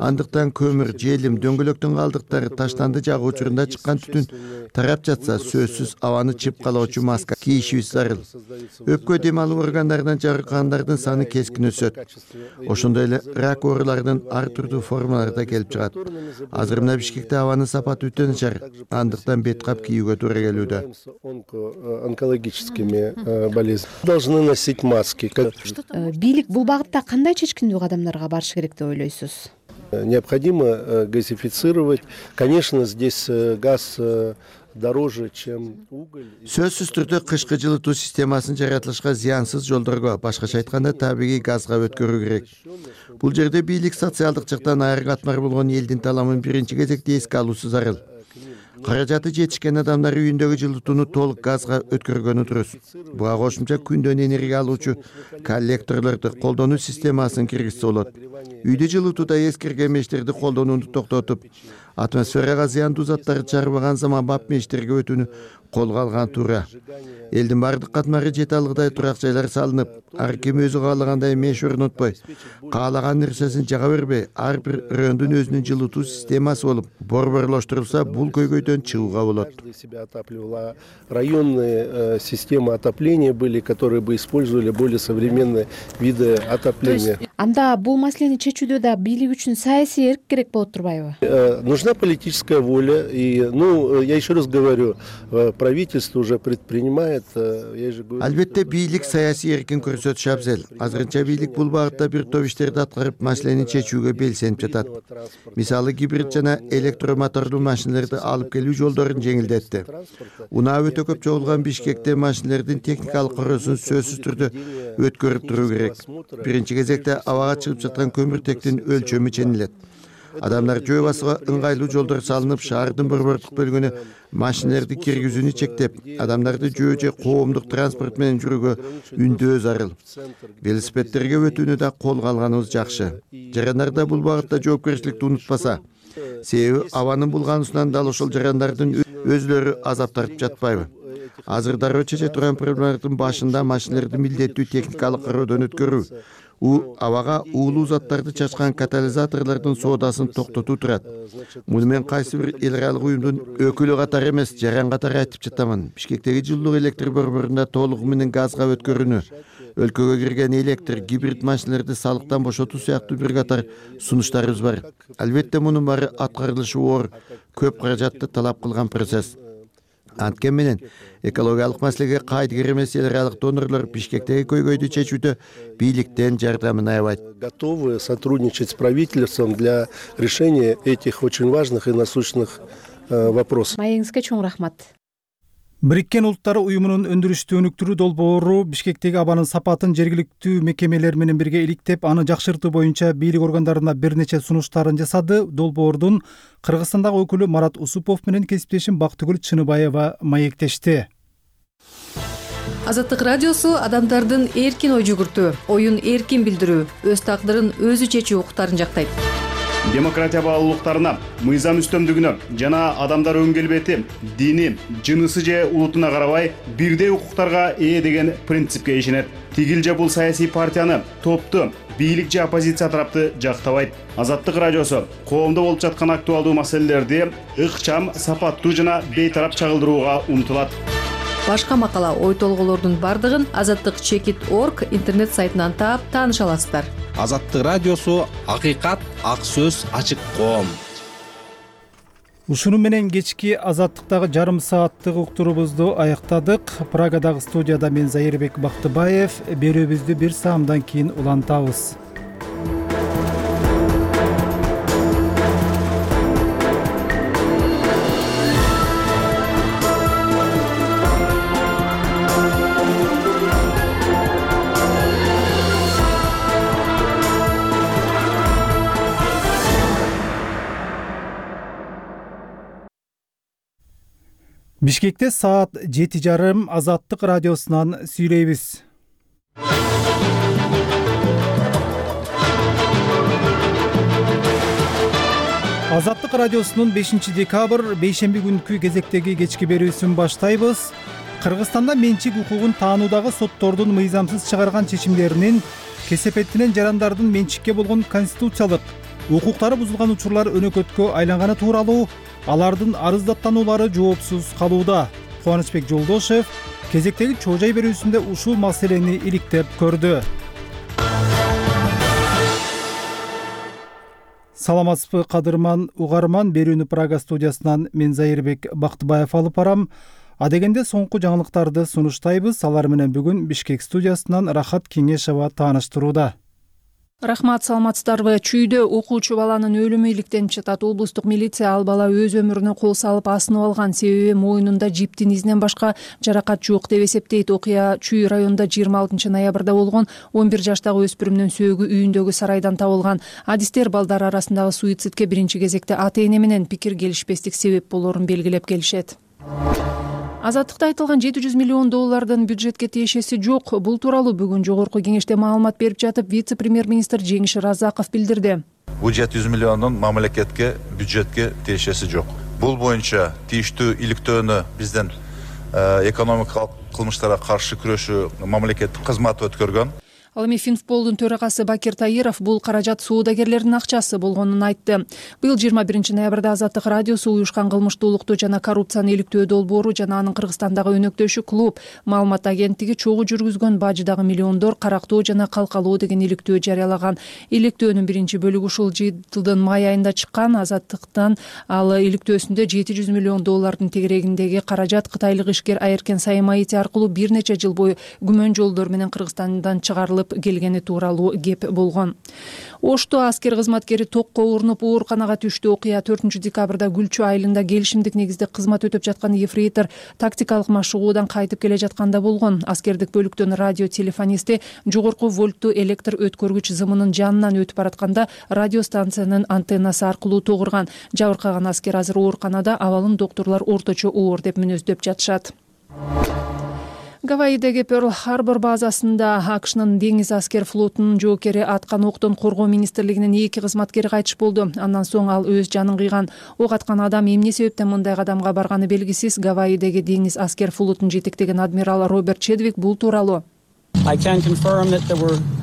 Андыктан көмүр, желим, дөңгөлөктүн калдыктары, таштанды жагуу учурунда чыккан түтүн тарап жатса, сөзсүз абаны чып калоочу маска кийишибиз зарыл. Өпкө дем алуу органдарынан жарыккандардын саны кескин өсөт. Ошондой эле рак ооруларынын ар түрдүү формалары да келип чыгат. Азыр мына Бишкекте абанын сапаты өтө начар, андыктан бет кап кийүүгө туура келүүдө. Онкологическими болезнями должны носить маски. Бийлик бул багытта кандай чечкиндүү кадамдарга барыш керек деп ойлойсуз? Необходимо газифицировать. Конечно, здесь газ дороже, чем уголь. Сөзсүз түрдө кышкы жылытуу системасын жаратылышка зыянсыз жолдорго, башкача айтканда табигый газга өткөрүү керек. Бул жерде бийлик социалдык жактан айры катмар болгон элдин таламын биринчи кезекте эске алуусу зарыл. Каражаты жетишкен адамдар үйүндөгү жылытууну толук газга өткөргөнү дурус. Буга кошумча күндөн энергия алуучу коллекторлорду колдонуу системасын киргизсе болот. Үйдө жылытууда эскирген мештерди колдонууну токтотуп, атмосферага зыяндуу заттарды чыгарбаган заманбап мештерге өтүүнү колго алган туура. Элдин бардык катмары жете алгыдай турак жайлар салынып, ар ким өзү каалагандай меш орнотпой, каалаган нерсесин жага бербей, ар бир райондун өзүнүн жылытуу системасы болуп, борборлоштурулса, бул көйгөйдөн чыгууга болот. Районные системы отопления были, которые бы использовали более современные виды отопления. Анда бул маселени чечүүдө да бийлик үчүн саясий эрк керек болот турбайбы? Нужна политическая воля, и, ну, я еще раз говорю, правительство уже предпринимает. Албетте бийлик саясий эркин көрсөтүшү абзел. Азырынча бийлик бул багытта бир топ иштерди аткарып, маселени чечүүгө белсенип жатат. Мисалы гибрид жана электромотордуу машиналарды алып келүү жолдорун жеңилдетти. Унаа өтө көп чогулган Бишкекте машиналардын техникалык коросун сөзсүз түрдө өткөрүп туруу керек. Биринчи кезекте абага чыгып жаткан көмүртектин өлчөмү ченилет. Адамдар жөө басууга ыңгайлуу жолдор салынып, шаардын борбордук бөлүгүнө машиналарды киргизүүнү чектеп, адамдарды жөө же коомдук транспорт менен жүрүүгө үндөө зарыл. Велосипедтерге өтүүнү да колго алганыбыз жакшы. Жарандарда бул багытта жоопкерчиликти унутпаса, себеби абанын булгануусунан дал ошол жарандардын өзлөрү азап тартып жатпайбы? Азыр дароо чече турган проблемалардын башында машиналарды милдеттүү техникалык кароодон өткөрүү, у абага уулуу заттарды чачкан катализаторлордун соодасын токтотуу турат. Муну мен кайсы бир эл аралык уюмдун өкүлү катары эмес, жаран катары айтып жатамын. Бишкектеги жылуулук электр борборунда толугу менен газга өткөрүүнү, өлкөгө кирген электр, гибрид машиналарды салыктан бошотуу сыяктуу бир катар сунуштарыбыз бар. Албетте мунун баары аткарылышы оор, көп каражатты талап кылган процесс. Анткени менен экологиялык маселеге кайдыгер эмес эл аралык донорлор Бишкектеги көйгөйдү чечүүдө бийликтен жардамын аябайт. Готовы сотрудничать с правительством для решения этих очень важных и насущных вопросов. Маегиңизге чоң рахмат. Бириккен Улуттар уюмунун өндүрүштү өнүктүрүү долбоору Бишкектеги абанын сапатын жергиликтүү мекемелер менен бирге иликтеп, аны жакшыртуу боюнча бийлик органдарына бир нече сунуштарын жасады. Долбоордун Кыргызстандагы өкүлү Марат Усупов менен кесиптешим Бактыгүл Чыныбаева маектешти. Азаттык радиосу адамдардын эркин ой жүгүртүү, оюн эркин билдирүү, өз тагдырын өзү чечүү укуктарын жактайт. демократия баалуулуктарына, мыйзам үстөмдүгүнө жана адамдар өң келбети, дини, жынысы же улутуна карабай бирдей укуктарга ээ деген принципке ишенет. Тигил же бул саясий партияны, топту, бийлик же оппозиция тарапты жактабайт. Азаттык радиосу коомдо болуп жаткан актуалдуу маселелерди ыкчам, сапаттуу жана бейтарап чагылдырууга умтулат. Башка макала, ой толголордун бардыгын азаттык чекит точка орг интернет сайтынан таап тааныша аласыздар. Азаттык радиосу акыйкат, ак сөз, ачык коом. Ушуну менен кечки азаттыктагы жарым сааттык уктурубузду аяктадык. Прагадагы студияда мен Зайырбек Бактыбаев. Берүүбүздү бир саамдан кийин улантабыз. Бишкекте саат жети жарым Азаттык радиосунан сүйлөйбүз. Азаттык радиосунун бешинчи декабрь бейшемби күнкү кезектеги кечки берүүсүн баштайбыз. Кыргызстанда менчик укугун таануудагы соттордун мыйзамсыз чыгарган чечимдеринин кесепеттинен жарандардын менчикке болгон конституциялык укуктары бузулган учурлар өнөкөткө айланганы тууралуу алардын арыздаттануулары жоопсуз калууда. Кубанычбек Жолдошев кезектеги чоо жай берүүсүндө ушул маселени иликтеп көрдү. Саламатсызбы кадырман угарман, берүүнү Прага студиясынан мен Зайырбек Бактыбаев алып барам. Адегенде соңку жаңылыктарды сунуштайбыз. Алар менен бүгүн Бишкек студиясынан Рахат Кеңешова тааныштырууда. Рахмат, саламатсыздарбы. Чүйдө окуучу баланын өлүмү иликтенип жатат. Облустук милиция ал бала өз өмүрүнө кол салып асынып алган, себеби моюнунда жиптин изинен башка жаракат жок деп эсептейт. Окуя Чүй районунда жыйырма алтынчы ноябрда болгон. он бир жаштагы өспүрүмдүн сөөгү үйүндөгү сарайдан табылган. Адистер балдар арасындагы суицидке биринчи кезекте ата-эне менен пикир келишпестик себеп болорун белгилеп келишет. Азаттыкта айтылган жети жүз миллион доллардын бюджетке тиешеси жок. Бул тууралуу бүгүн жогорку кеңеште маалымат берип жатып, вице-премьер-министр Жеңиш Разаков билдирди. Бул жети жүз миллиондун мамлекетке, бюджетке тиешеси жок. Бул боюнча тийиштүү иликтөөнү бизден экономикалык кылмыштарга каршы күрөшүү мамлекеттик кызматы өткөргөн. Ал эми Финфполдун төрагасы Бакир Таиров бул каражат соодагерлердин акчасы болгонун айтты. Быйыл жыйырма биринчи ноябрда Азаттык радиосу уюшкан кылмыштуулукту жана коррупцияны иликтөө долбоору жана анын Кыргызстандагы өнөктөшү клуб маалымат агенттиги чогуу жүргүзгөн бажыдагы миллиондор карактоо жана калкалоо деген иликтөө жарыялаган. Иликтөөнүн биринчи бөлүгү ушул жылдын май айында чыккан. Азаттыктан ал иликтөөсүндө жети жүз миллион доллардын тегерегиндеги каражат кытайлык ишкер Айеркен Саймаити аркылуу бир нече жыл бою күмөн жолдор менен Кыргызстандан чыгарылып келгени тууралуу кеп болгон. Ошто аскер кызматкери токко урунуп ооруканага түштү. Окуя төртүнчү декабрда Гүлчү айылында келишимдик негизде кызмат өтөп жаткан ефрейтор тактикалык машыгуудан кайтып келе жатканда болгон. Аскердик бөлүктөн радио телефонисти жогорку вольттуу электр өткөргүч зымынын жанынан өтүп баратканда радиостанциянын антеннасы аркылуу тогурган. Жабыркаган аскер азыр ооруканада, абалын доктурлар орточо оор деп мүнөздөп жатышат. Гавайидеги Перл-Харбор базасында АКШнын деңиз аскер флотунун жоокери аткан октон коргоо министрлигинин эки кызматкери кайтыш болду. Андан соң ал өз жанын кыйган. Ок аткан адам эмне себептен мындай кадамга барганы белгисиз. Гавайидеги деңиз аскер флотун жетектеген адмирал Роберт Чедвик бул тууралуу: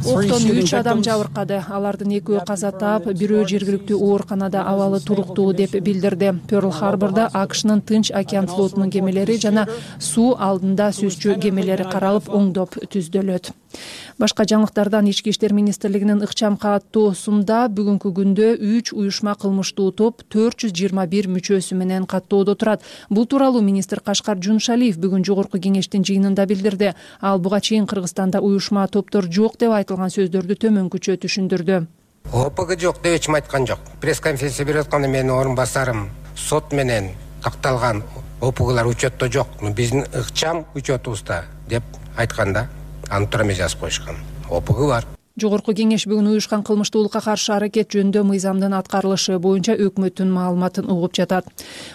Октон үч адам жабыркады. Алардын экөө каза таап, бирөө жергиликтүү ооруканада абалы туруктуу деп билдирди. Перл-Харбордо АКШнын Тынч океан флотунун кемелери жана суу алдында сүзчү кемелери каралып, оңдоп түздөлөт. Башка жаңылыктардан Ички иштер министрлигинин ыкчам каттоосунда бүгүнкү күндө үч уюшма кылмыштуу топ төрт жүз жыйырма бир мүчөсү менен каттоодо турат. Бул тууралуу министр Кашкар Жунушалиев бүгүн жогорку кеңештин жыйынында билдирди. Ал буга чейин Кыргызстанда уюшма топтор жок деп айтылган сөздөрдү төмөнкүчө түшүндүрдү. ОПГ жок деп эч айткан жок. Пресс-конференция берип атканда менин орун басарым сот менен такталган ОПГлар учетто жок. Биздин ыкчам учетубузда деп айтканда аны тура эмес жазып коюшкан. ОПГ бар. Жогорку кеңеш бүгүн уюшкан кылмыштуулукка каршы аракет жөнүндө мыйзамдын аткарылышы боюнча өкмөттүн маалыматын угуп жатат.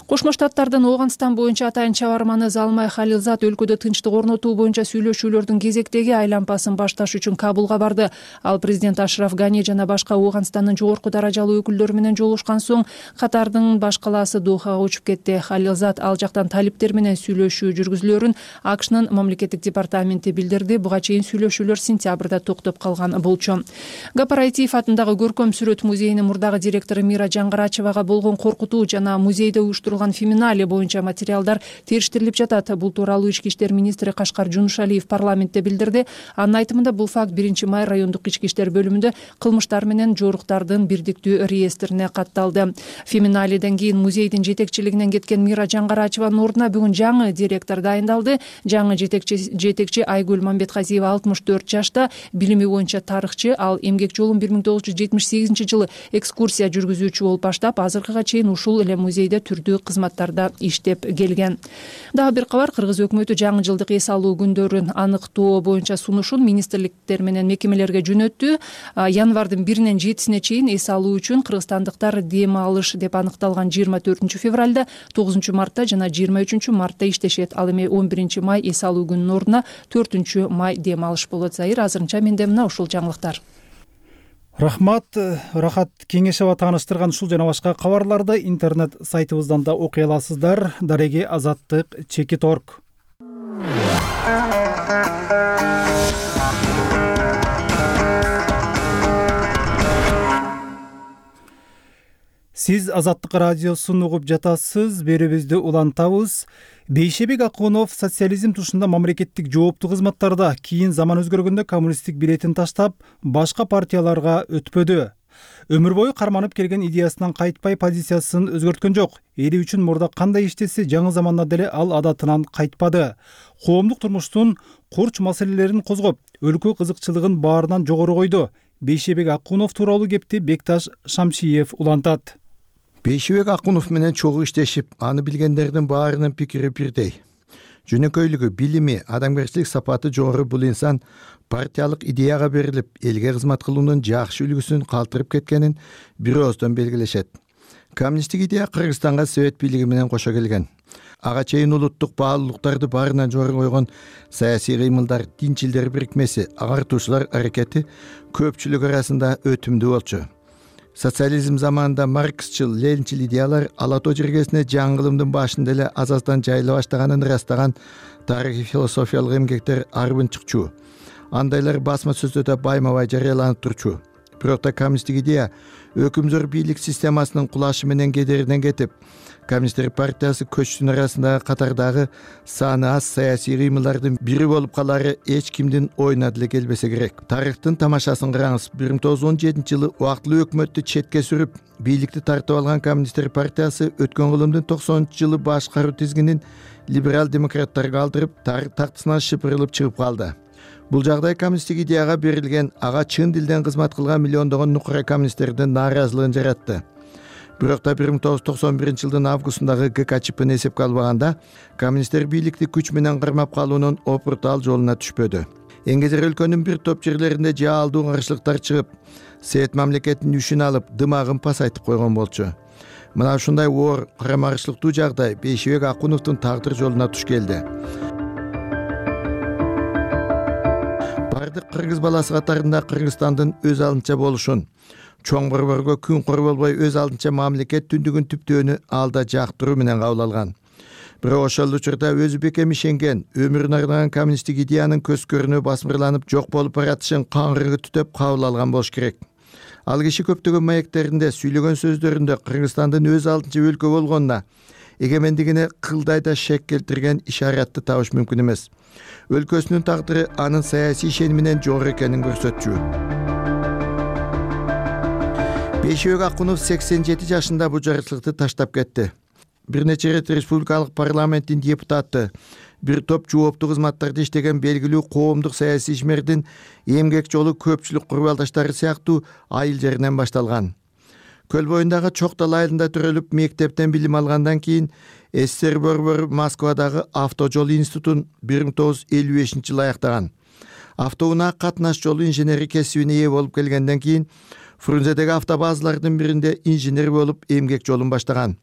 Кошмо Штаттардын Ооганстан боюнча атайын чабарманы Залмай Халилзат өлкөдө тынчтык орнотуу боюнча сүйлөшүүлөрдүн кезектеги айланпасын башташ үчүн Кабулга барды. Ал президент Ашраф Гани жана башка Ооганстандын жогорку даражалуу өкүлдөрү менен жолугушкан соң Катардын баш калаасы Дохага учуп кетти. Халилзат ал жактан талиптер менен сүйлөшүү жүргүзүлөрүн АКШнын мамлекеттик департаменти билдирди. Буга чейин сүйлөшүүлөр сентябрда токтоп калган болчу. Гапараитиев атындагы көркөм сүрөт музейинин мурдагы директору Мира Жаңгарачевага болгон коркутуу жана музейде уюштурулган феминале боюнча материалдар териштирилип жатат. Бул тууралуу ички иштер министри Кашкар Жунушалиев парламентте билдирди. Анын айтымында бул факт биринчи май райондук ички иштер бөлүмүндө кылмыштар менен жоруктардын бирдиктүү реестрине катталды. Феминаледен кийин музейдин жетекчилигинен кеткен Мира Жаңгарачеванын ордуна бүгүн жаңы директор дайындалды. Жаңы жетекчи жетекчи Айгүл Мамбетказиева алтымыш төрт жашта, билими боюнча тарыхчы. Ал эмгек жолун бир миң тогуз жүз жетимиш сегизинчи жылы экскурсия жүргүзүүчү болуп баштап, азыркыга чейин ушул эле музейде түрдүү кызматтарда иштеп келген. Дагы бир кабар: Кыргыз өкмөтү жаңы жылдык эс алуу күндөрүн аныктоо боюнча сунушун министрликтер менен мекемелерге жөнөттү. Январдын биринен жетисине чейин эс алуу үчүн кыргызстандыктар дем алыш деп аныкталган жыйырма төртүнчү февралда, тогузунчу мартта жана жыйырма үчүнчү мартта иштешет. Ал эми он биринчи май эс алуу күнүнүн ордуна төртүнчү май дем алыш болот. Зайыр, азырынча менде мына ушул жаңылыктар. Рахмат. Рахат Кеңешева тааныштырган ушул жана башка кабарларды интернет сайтыбыздан да окуй аласыздар. Дареги азаттык чекит точка орг. Сиз Азаттык радиосун угуп жатасыз. Берүүбүздү улантабыз. Бейшебек Акунов социализм тушунда мамлекеттик жооптуу кызматтарда кийин заман өзгөргөндө коммунисттик билетин таштап, башка партияларга өтпөдү. Өмүр бою карманып келген идеясынан кайтпай, позициясын өзгөрткөн жок. Эли үчүн мурда кандай иштесе, жаңы заманда деле ал адатынан кайтпады. Коомдук турмуштун курч маселелерин козгоп, өлкө кызыкчылыгын баарынан жогору койду. Бейшебек Акунов тууралуу кепти Бекташ Шамшиев улантат. Бейшебек Акунов менен чогуу иштешип, аны билгендердин баарынын пикири бирдей. Жөнөкөйлүгү, билими, адамгерчилик сапаты жогору бул инсан партиялык идеяга берилип, элге кызмат кылуунун жакшы үлгүсүн калтырып кеткенин бир ооздон белгилешет. Коммунисттик идея Кыргызстанга Совет бийлиги менен кошо келген. Ага чейин улуттук баалуулуктарды баарынан жогору койгон саясий кыймылдар, динчилдер бирикмеси, агартуучулар аракети көпчүлүк арасында өтүмдүү болчу. Социализм заманында марксчыл, ленинчил идеялар ала тоо жергесине жаңгылымдын башында эле азаздан жайыла баштаганын ырастаган тарыхый философиялык эмгектер арбын чыкчу. Андайлар басма сөздөрдө байма-бай жарыяланып турчу. Бирок да коммунисттик идея өкүмзөр бийлик системасынын кулашы менен кедеринен кетип, Коммунисттер партиясы көчтүн арасындагы катардагы саны аз саясий кыймылдардын бири болуп калары эч кимдин оюна деле келбесе керек. Тарыхтын тамашасын караңыз. бир миң тогуз жүз он жетинчи жылы убактылуу өкмөттү четке сүрүп, бийликти тартып алган Коммунисттер партиясы өткөн кылымдын токсонунчу жылы башкаруу тизгинин либерал демократтарга алдырып, тактысынан шыпырылып чыгып калды. Бул жагдай коммунисттик идеяга берилген, ага чын дилден кызмат кылган миллиондогон нукура коммунисттердин нааразылыгын жаратты. Бирок да бир миң тогуз жүз токсон биринчи жылдын августундагы ГКЧПны эсепке албаганда, коммунисттер бийликти күч менен кармап калуунун опуртал жолуна түшпөдү. Эңгезер өлкөнүн бир топ жерлеринде жаалдуу каршылыктар чыгып, Совет мамлекетинин үшүн алып, дымагын пасайтып койгон болчу. Мына ушундай оор, карама-каршылыктуу жагдай Бейшебек Акуновдун тагдыр жолуна туш келди. Бардык кыргыз баласы катарында Кыргызстандын өз алдынча болушун, чоң борборго күн кор болбой өз алдынча мамлекет түндүгүн түптөөнү алда жактыруу менен кабыл алган. Бирок ошол учурда өзү бекем ишенген, өмүрүн арнаган коммунисттик идеянын көз көрүнү басмырланып жок болуп баратышын каңгыры түтөп кабыл алган болуш керек. Ал киши көптөгөн маектеринде, сүйлөгөн сөздөрүндө Кыргызстандын өз алдынча өлкө болгонуна, эгемендигине кылдайда шек келтирген ишаратты табыш мүмкүн эмес. Өлкөсүнүн тагдыры анын саясий ишениминен жогору экенин көрсөтчү. Бейшебек Акунов сексен жети жашында бул жарычылыкты таштап кетти. Бир нече ирет республикалык парламенттин депутаты, бир топ жооптуу кызматтарда иштеген белгилүү коомдук саясий ишмердин эмгек жолу көпчүлүк курбалдаштары сыяктуу айыл жеринен башталган. Көл боюндагы Чоктал айылында төрөлүп, мектептен билим алгандан кийин СССР борбору Москвадагы автожол институтун бир миң тогуз жүз элүү бешинчи жылы аяктаган. Автоунаа катнаш жолу инженери кесибине ээ болуп келгенден кийин Фрунзедеги автобазалардын биринде инженер болуп эмгек жолун баштаган.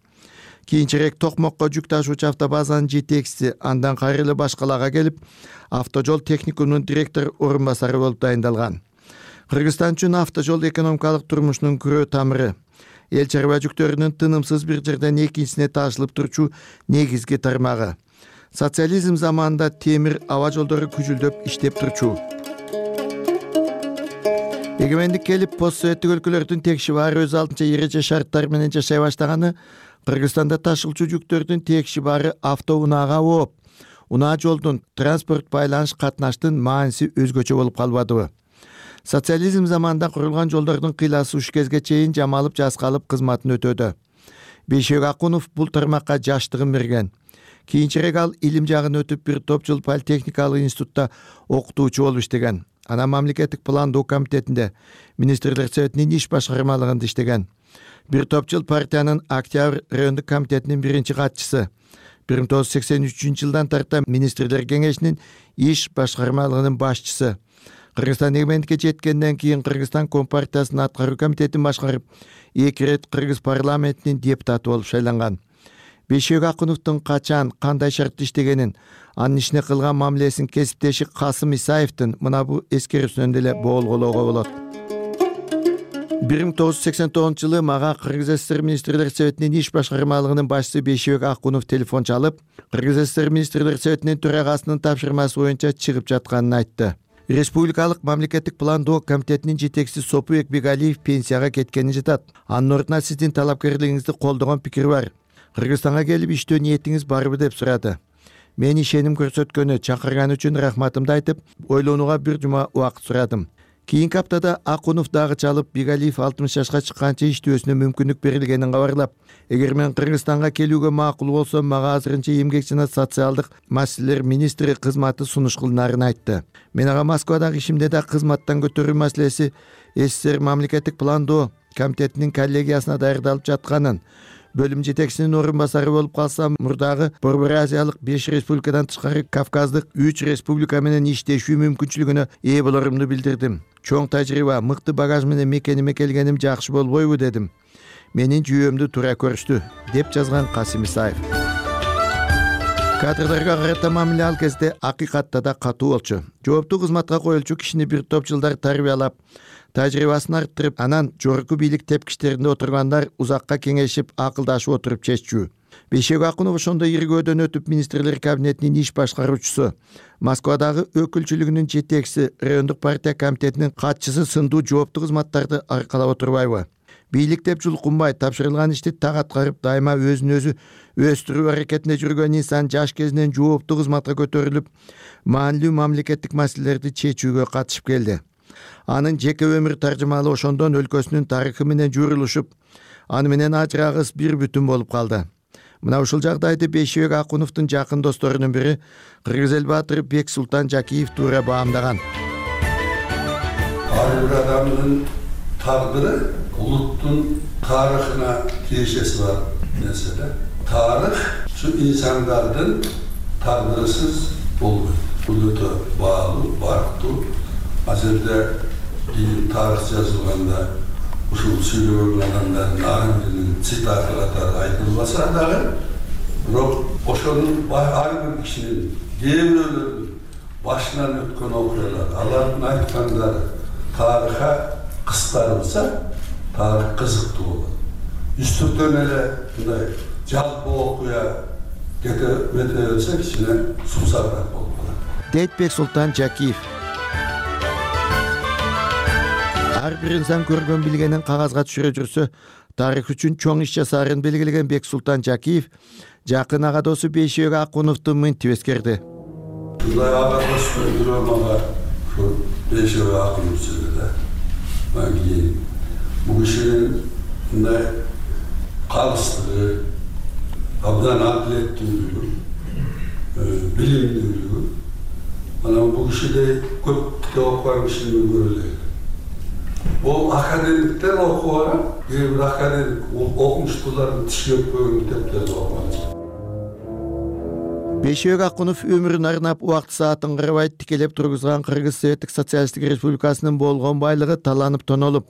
Кийинчерээк Токмокко жүк ташуучу автобазанын жетекчиси, андан кайра эле башкалага келип, автожол техникумунун директор орун басары болуп дайындалган. Кыргызстан үчүн автожол экономикалык турмушунун күрөө тамыры. Эл чарба жүктөрүнүн тынымсыз бир жерден экинчисине ташылып турчу негизги тармагы. Социализм заманында темир аба жолдору күжүлдөп иштеп турчу. Эгемендик келип, постсоветтик өлкөлөрдүн текши баары өз алдынча эреже шарттар менен жашай баштаганы Кыргызстанда ташылчу жүктөрдүн текши баары автоунаага ооп, унаа жолдун транспорт байланыш катнаштын мааниси өзгөчө болуп калбадыбы? Социализм заманында курулган жолдордун кыйласы уш кезге чейин жамалып жаскалып кызматын өтөдү. Бейшебек Акунов бул тармакка жаштыгын берген. Кийинчерээк ал илим жагын өтүп, бир топ жыл политехникалык институтта окутуучу болуп иштеген. Анан мамлекеттик пландоо комитетинде, министрлер советинин иш башкармалыгында иштеген. Бир топ жыл партиянын Октябрь райондук комитетинин биринчи катчысы. бир миң тогуз жүз сексен үчүнчү жылдан тарта министрлер кеңешинин иш башкармалыгынын башчысы. Кыргызстан эгемендикке жеткенден кийин Кыргызстан Компартиясынын аткаруу комитетин башкарып, эки ирет Кыргыз парламентинин депутаты болуп шайланган. Бейшебек Акуновдун качан, кандай шартта иштегенин, анын ишине кылган мамилесин кесиптеши Касым Исаевдин мына бул эскерүүсүнөн деле болгоолоого болот. бир миң тогуз жүз сексен тогузунчу жылы мага Кыргыз ССР министрлер советинин иш башкармалыгынын башчысы Бейшебек Акунов телефон чалып, Кыргыз ССР министрлер советинин төрагасынын тапшырмасы боюнча чыгып жатканын айтты. Республикалык мамлекеттик пландоо комитетинин жетекчиси Сопубек Бегалиев пенсияга кеткени жатат. Анын ордуна сиздин талапкерлигиңизди колдогон пикир бар. Кыргызстанга келип иштөө ниетиңиз барбы деп сурады. Мен ишеним көрсөткөнү, чакырганы үчүн рахматымды айтып, ойлонууга бир жума убакыт сурадым. Кийинки аптада Акунов дагы чалып, Бегалиев алтымыш жашка чыкканча иштөөсүнө мүмкүндүк берилгенин кабарлап, эгер мен Кыргызстанга келүүгө макул болсом, мага азырынча эмгек жана социалдык маселелер министри кызматы сунуш кылынаарын айтты. Мен ага Москвадагы ишимде да кызматтан көтөрүү маселеси СССР мамлекеттик пландоо комитетинин коллегиясына даярдалып жатканын, бөлүм жетекчисинин орун басары болуп калсам, мурдагы Борбор Азиялык беш республикадан тышкары Кавказдык үч республика менен иштешүү мүмкүнчүлүгүнө ээ болорумду билдирдим. Чоң тажрыйба, мыкты багаж менен мекениме келгеним жакшы болбойбу дедим. Менин жүйөмдү туура көрүштү, деп жазган Касым Исаев. Кадрдарга карата мамиле ал кезде акыйкатта да катуу болчу. Жооптуу кызматка коюлчу кишини бир топ жылдар тарбиялап, тажрыйбасын арттырып, анан жогорку бийлик тепкичтеринде отургандар узакка кеңешип, акылдашып отуруп чеччү. Бейшебек Акунов ошондо иргөөдөн өтүп, министрлер кабинетинин иш башкаруучусу, Москвадагы өкүлчүлүгүнүн жетекчиси, райондук партия комитетинин катчысы сындуу жооптуу кызматтарды аркалап отурбайбы? Бийлик деп жулкунбай, тапшырылган ишти так аткарып, дайыма өзүн өзү өстүрүү аракетинде жүргөн инсан жаш кезинен жооптуу кызматка көтөрүлүп, маанилүү мамлекеттик маселелерди чечүүгө катышып келди. Анын жеке өмүр таржымалы ошондон өлкөсүнүн тарыхы менен журулушуп, аны менен ажырагыс бир бүтүн болуп калды. Мына ушул жагдайды Бейшебек Акуновдун жакын досторунун бири Кыргыз эл баатыры Бексултан Жакиев туура баамдаган. Ар бир адамдын тагдыры улуттун тарыхына тиешеси бар нерсе да. Тарых ушу инсандардын тагдырысыз болбойт. Бул өтө баалуу, барктуу. Азырда тарых жазылганда ушул сүйлөгөн адамдардын ар биринин цитаты катары айтылбаса дагы, бирок ошонун ар бир кишинин, кээ бирөөлөрдүн башынан өткөн окуялар, алардын айткандары тарыхка кыскартылса, тарых кызыктуу болот. Үстүртөн эле мындай жалпы окуя кете бете берсе кичине сумсарыраак болуп калат. дейт Бексултан Жакиев. Ар бир инсан көргөн билгенин кагазга түшүрө жүрсө, тарых үчүн чоң иш жасаарын белгилеген Бексултан Жакиев жакын ага досу Бейшебек Акуновду мынтип эскерди. Ушундай ага дос бирөө мага ушу Бейшебек Акунов сөйлөдү да. Мага бул кишинин мындай калыстыгы, абдан адилеттүүлүгү, билимдүүлүгү, анан бул кишиде көп китеп окуган кишини көрөлү. Бул академиктер окуган, кээ бир академик окумуштуулардын тиши өпкөн китептерди окуган. Бейшибек Акунов өмүрүн арнап убакыт саатын карабай тикелеп тургузган Кыргыз Советтик Социалисттик Республикасынын болгон байлыгы таланып тонолуп,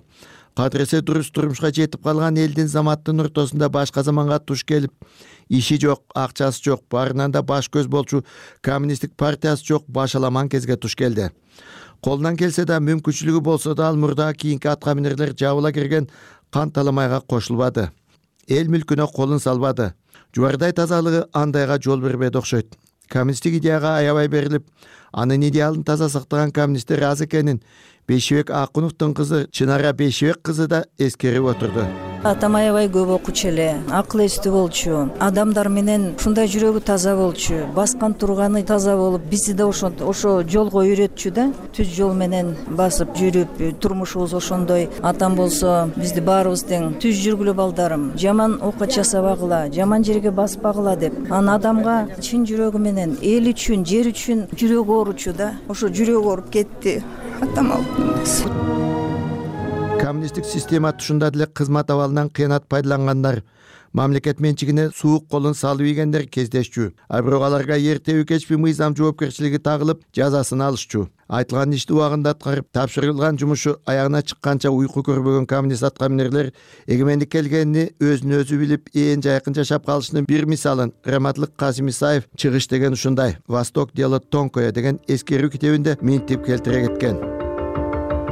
кадыресе дурус турмушка жетип калган элдин заматтын ортосунда башка заманга туш келип, иши жок, акчасы жок, барынан да баш көз болчу коммунисттик партиясы жок башаламан кезге туш келди. Колунан келсе да, мүмкүнчүлүгү болсо да ал мурда кийинки атка минерлер жабыла кирген кан таламайга кошулбады. Эл мүлкүнө колун салбады. Жубардай тазалыгы андайга жол бербейт окшойт. Коммунисттик идеяга аябай берилип, анын идеалын таза сактаган коммунисттер аз экенин Бейшибек Акуновдун кызы Чынара Бейшибек кызы да эскерип отурду. Атам аябай көп окучу эле, акыл эстүү болчу, адамдар менен ушундай жүрөгү таза болчу, баскан турганы таза болуп, бизди да ошо ошо жолго үйрөтчү да, түз жол менен басып жүрүп, турмушубуз ошондой. Атам болсо бизди баарыбыз тең түз жүргүлө балдарым, жаман окат жасабагыла, жаман жерге баспагыла деп. Аны адамга чын жүрөгү менен эл үчүн, жер үчүн жүрөгү ооручу да. Ошо жүрөгү ооруп кетти. Атам алып. Коммунисттик система тушунда деле кызмат абалынан кыянат пайдалангандар, мамлекет менчигине суук колун салып ийгендер кездешчү. А бирок аларга эртеби кечпи мыйзам жоопкерчилиги тагылып, жазасын алышчу. Айтылган ишти убагында аткарып, тапшырылган жумушу аягына чыкканча уйку көрбөгөн коммунист атка минерлер эгемендик келгенini өзүн өзү билип, ээн жайкын жашап калышынын бир мисалын Раматлык Касим Исаев чыгыш деген ушундай «Восток дело тонкое» деген эскерүү китебинде минтип келтире кеткен.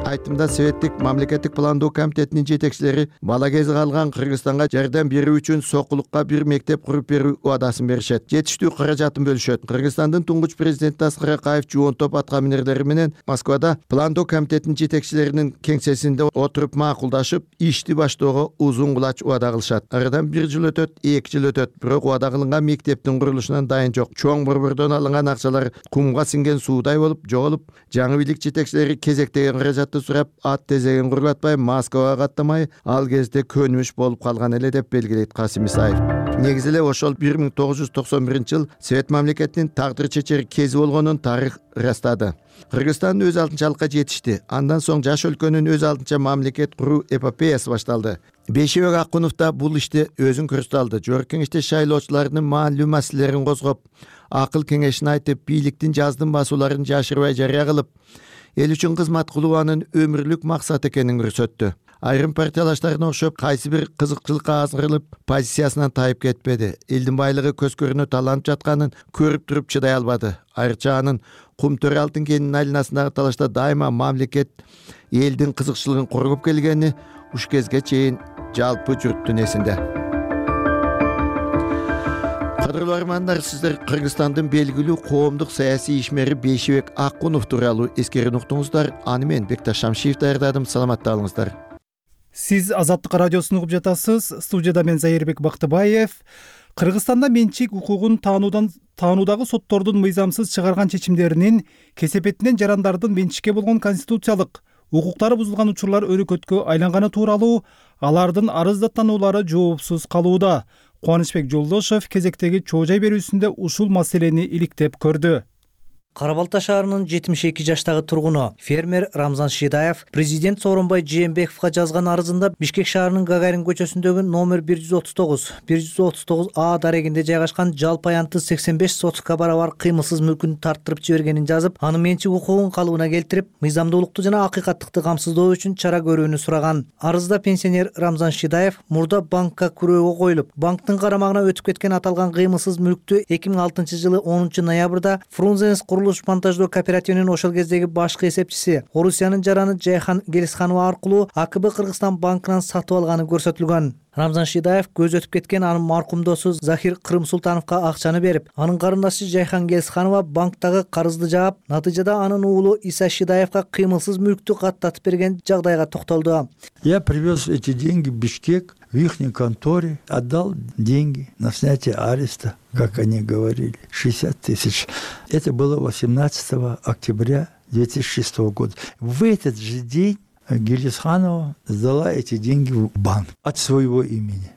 Айтымда Советтик мамлекеттик пландоо комитетинин жетекчилери бала кези калган Кыргызстанга жардам берүү үчүн Сокулукка бир мектеп куруп берүү убадасын беришет. Жетиштүү каражатын бөлүшөт. Кыргызстандын туңгуч президенти Аскар Акаев жуун топ атка минерлери менен Москвада пландоо комитетинин жетекчилеринин кеңсесинде отуруп макулдашып, ишти баштоого узун кулач убада кылышат. Арадан бир жыл өтөт, эки жыл өтөт, бирок убада кылынган мектептин курулушунан дайын жок. Чоң борбордон алынган акчалар кумга сиңген суудай болуп жоголуп, жаңы бийлик жетекчилери кезектеген каражатты сурап, ат тезеген курулатпай, Москвага каттамай, ал кезде көнүмүш болуп калган эле деп белгилейт Касим Исаев. Негизи эле ошол бир миң тогуз жүз токсон биринчи жыл Совет мамлекетинин тагдыр чечер кези болгонун тарых ырастады. Кыргызстан өз алдынчалыкка жетишти. Андан соң жаш өлкөнүн өз алдынча мамлекет куруу эпопеясы башталды. Бейшибек Акунов да бул иште өзүн көрсөтүп, жогорку кеңеште шайлоочулардын маанилүү маселелерин козгоп, акыл кеңешин айтып, бийликтин жаздын басууларын жашырбай жарыя кылып, эл үчүн кызмат кылуу анын өмүрлүк максат экенин көрсөттү. Айрым партиялаштарына окшоп, кайсы бир кызыкчылыкка азгырылып, позициясынан тайып кетпеди. Элдин байлыгы көз көрүнө таланып жатканын көрүп туруп чыдай албады. Айрыкча анын кум төрө алтын кенинин айланасындагы талашта дайыма мамлекет элдин кызыкчылыгын коргоп келгени уш кезге чейин жалпы журттун эсинде. Кадырлуу армандар, сиздер Кыргызстандын белгилүү коомдук саясий ишмери Бейшибек Акунов тууралуу эскерүүнү уктуңуздар. Аны мен Бекташ Шамшиев даярдадым. Саламатта калыңыздар. Сиз Азаттык радиосун угуп жатасыз. Студияда мен Зайырбек Бактыбаев. Кыргызстанда менчик укугун таануудан таануудагы соттордун мыйзамсыз чыгарган чечимдеринин кесепетинен жарандардын менчикке болгон конституциялык укуктары бузулган учурлар өрөкөткө айланганы тууралуу алардын арыздаттануулары жоопсуз калууда. Кубанычбек Жолдошев кезектеги чоо жай берүүсүндө ушул маселени иликтеп көрдү. Кара Балта шаарынын жетимиш эки жаштагы тургуну фермер Рамзан Шидаев президент Сооронбай Жээнбековго жазган арызында Бишкек шаарынын Гагарин көчөсүндөгү номер бир жүз отуз тогуз бир жүз отуз тогуз А дарегинде жайгашкан жалпы аянты сексен беш сотка барабар кыймылсыз мүлкүн тарттырып жибергенин жазып, анын менчик укугун калыбына келтирип, мыйзамдуулукту жана акыйкаттыкты камсыздоо үчүн чара көрүүнү сураган. Арызда пенсионер Рамзан Шидаев мурда банкка күрөөгө коюлуп, банктын карамагына өтүп кеткен аталган кыймылсыз мүлктү эки миң алтынчы жылы онунчу ноябрда Фрунзенс монтаждоо кооперативинин ошол кездеги башкы эсепчиси Орусиянын жараны Жайхан Гелисханова аркылуу А К Б Кыргызстан банкынан сатып алганы көрсөтүлгөн. Рамзан Шидаев көз өтүп кеткен анын маркум досу Захир Кырым Султановго акчаны берип, анын карындашы Жайхан Гелисханова банктагы карызды жаап, натыйжада анын уулу Иса Шидаевга кыймылсыз мүлктү каттатып берген жагдайга токтолду. Я привез эти деньги в Бишкек, в их конторе, отдал деньги на снятие ареста, как они говорили, шестьдесят тысяч. Это было восемнадцатого октября две тысячи шестого года. В этот же день Гелисханова сдала эти деньги в банк от своего имени.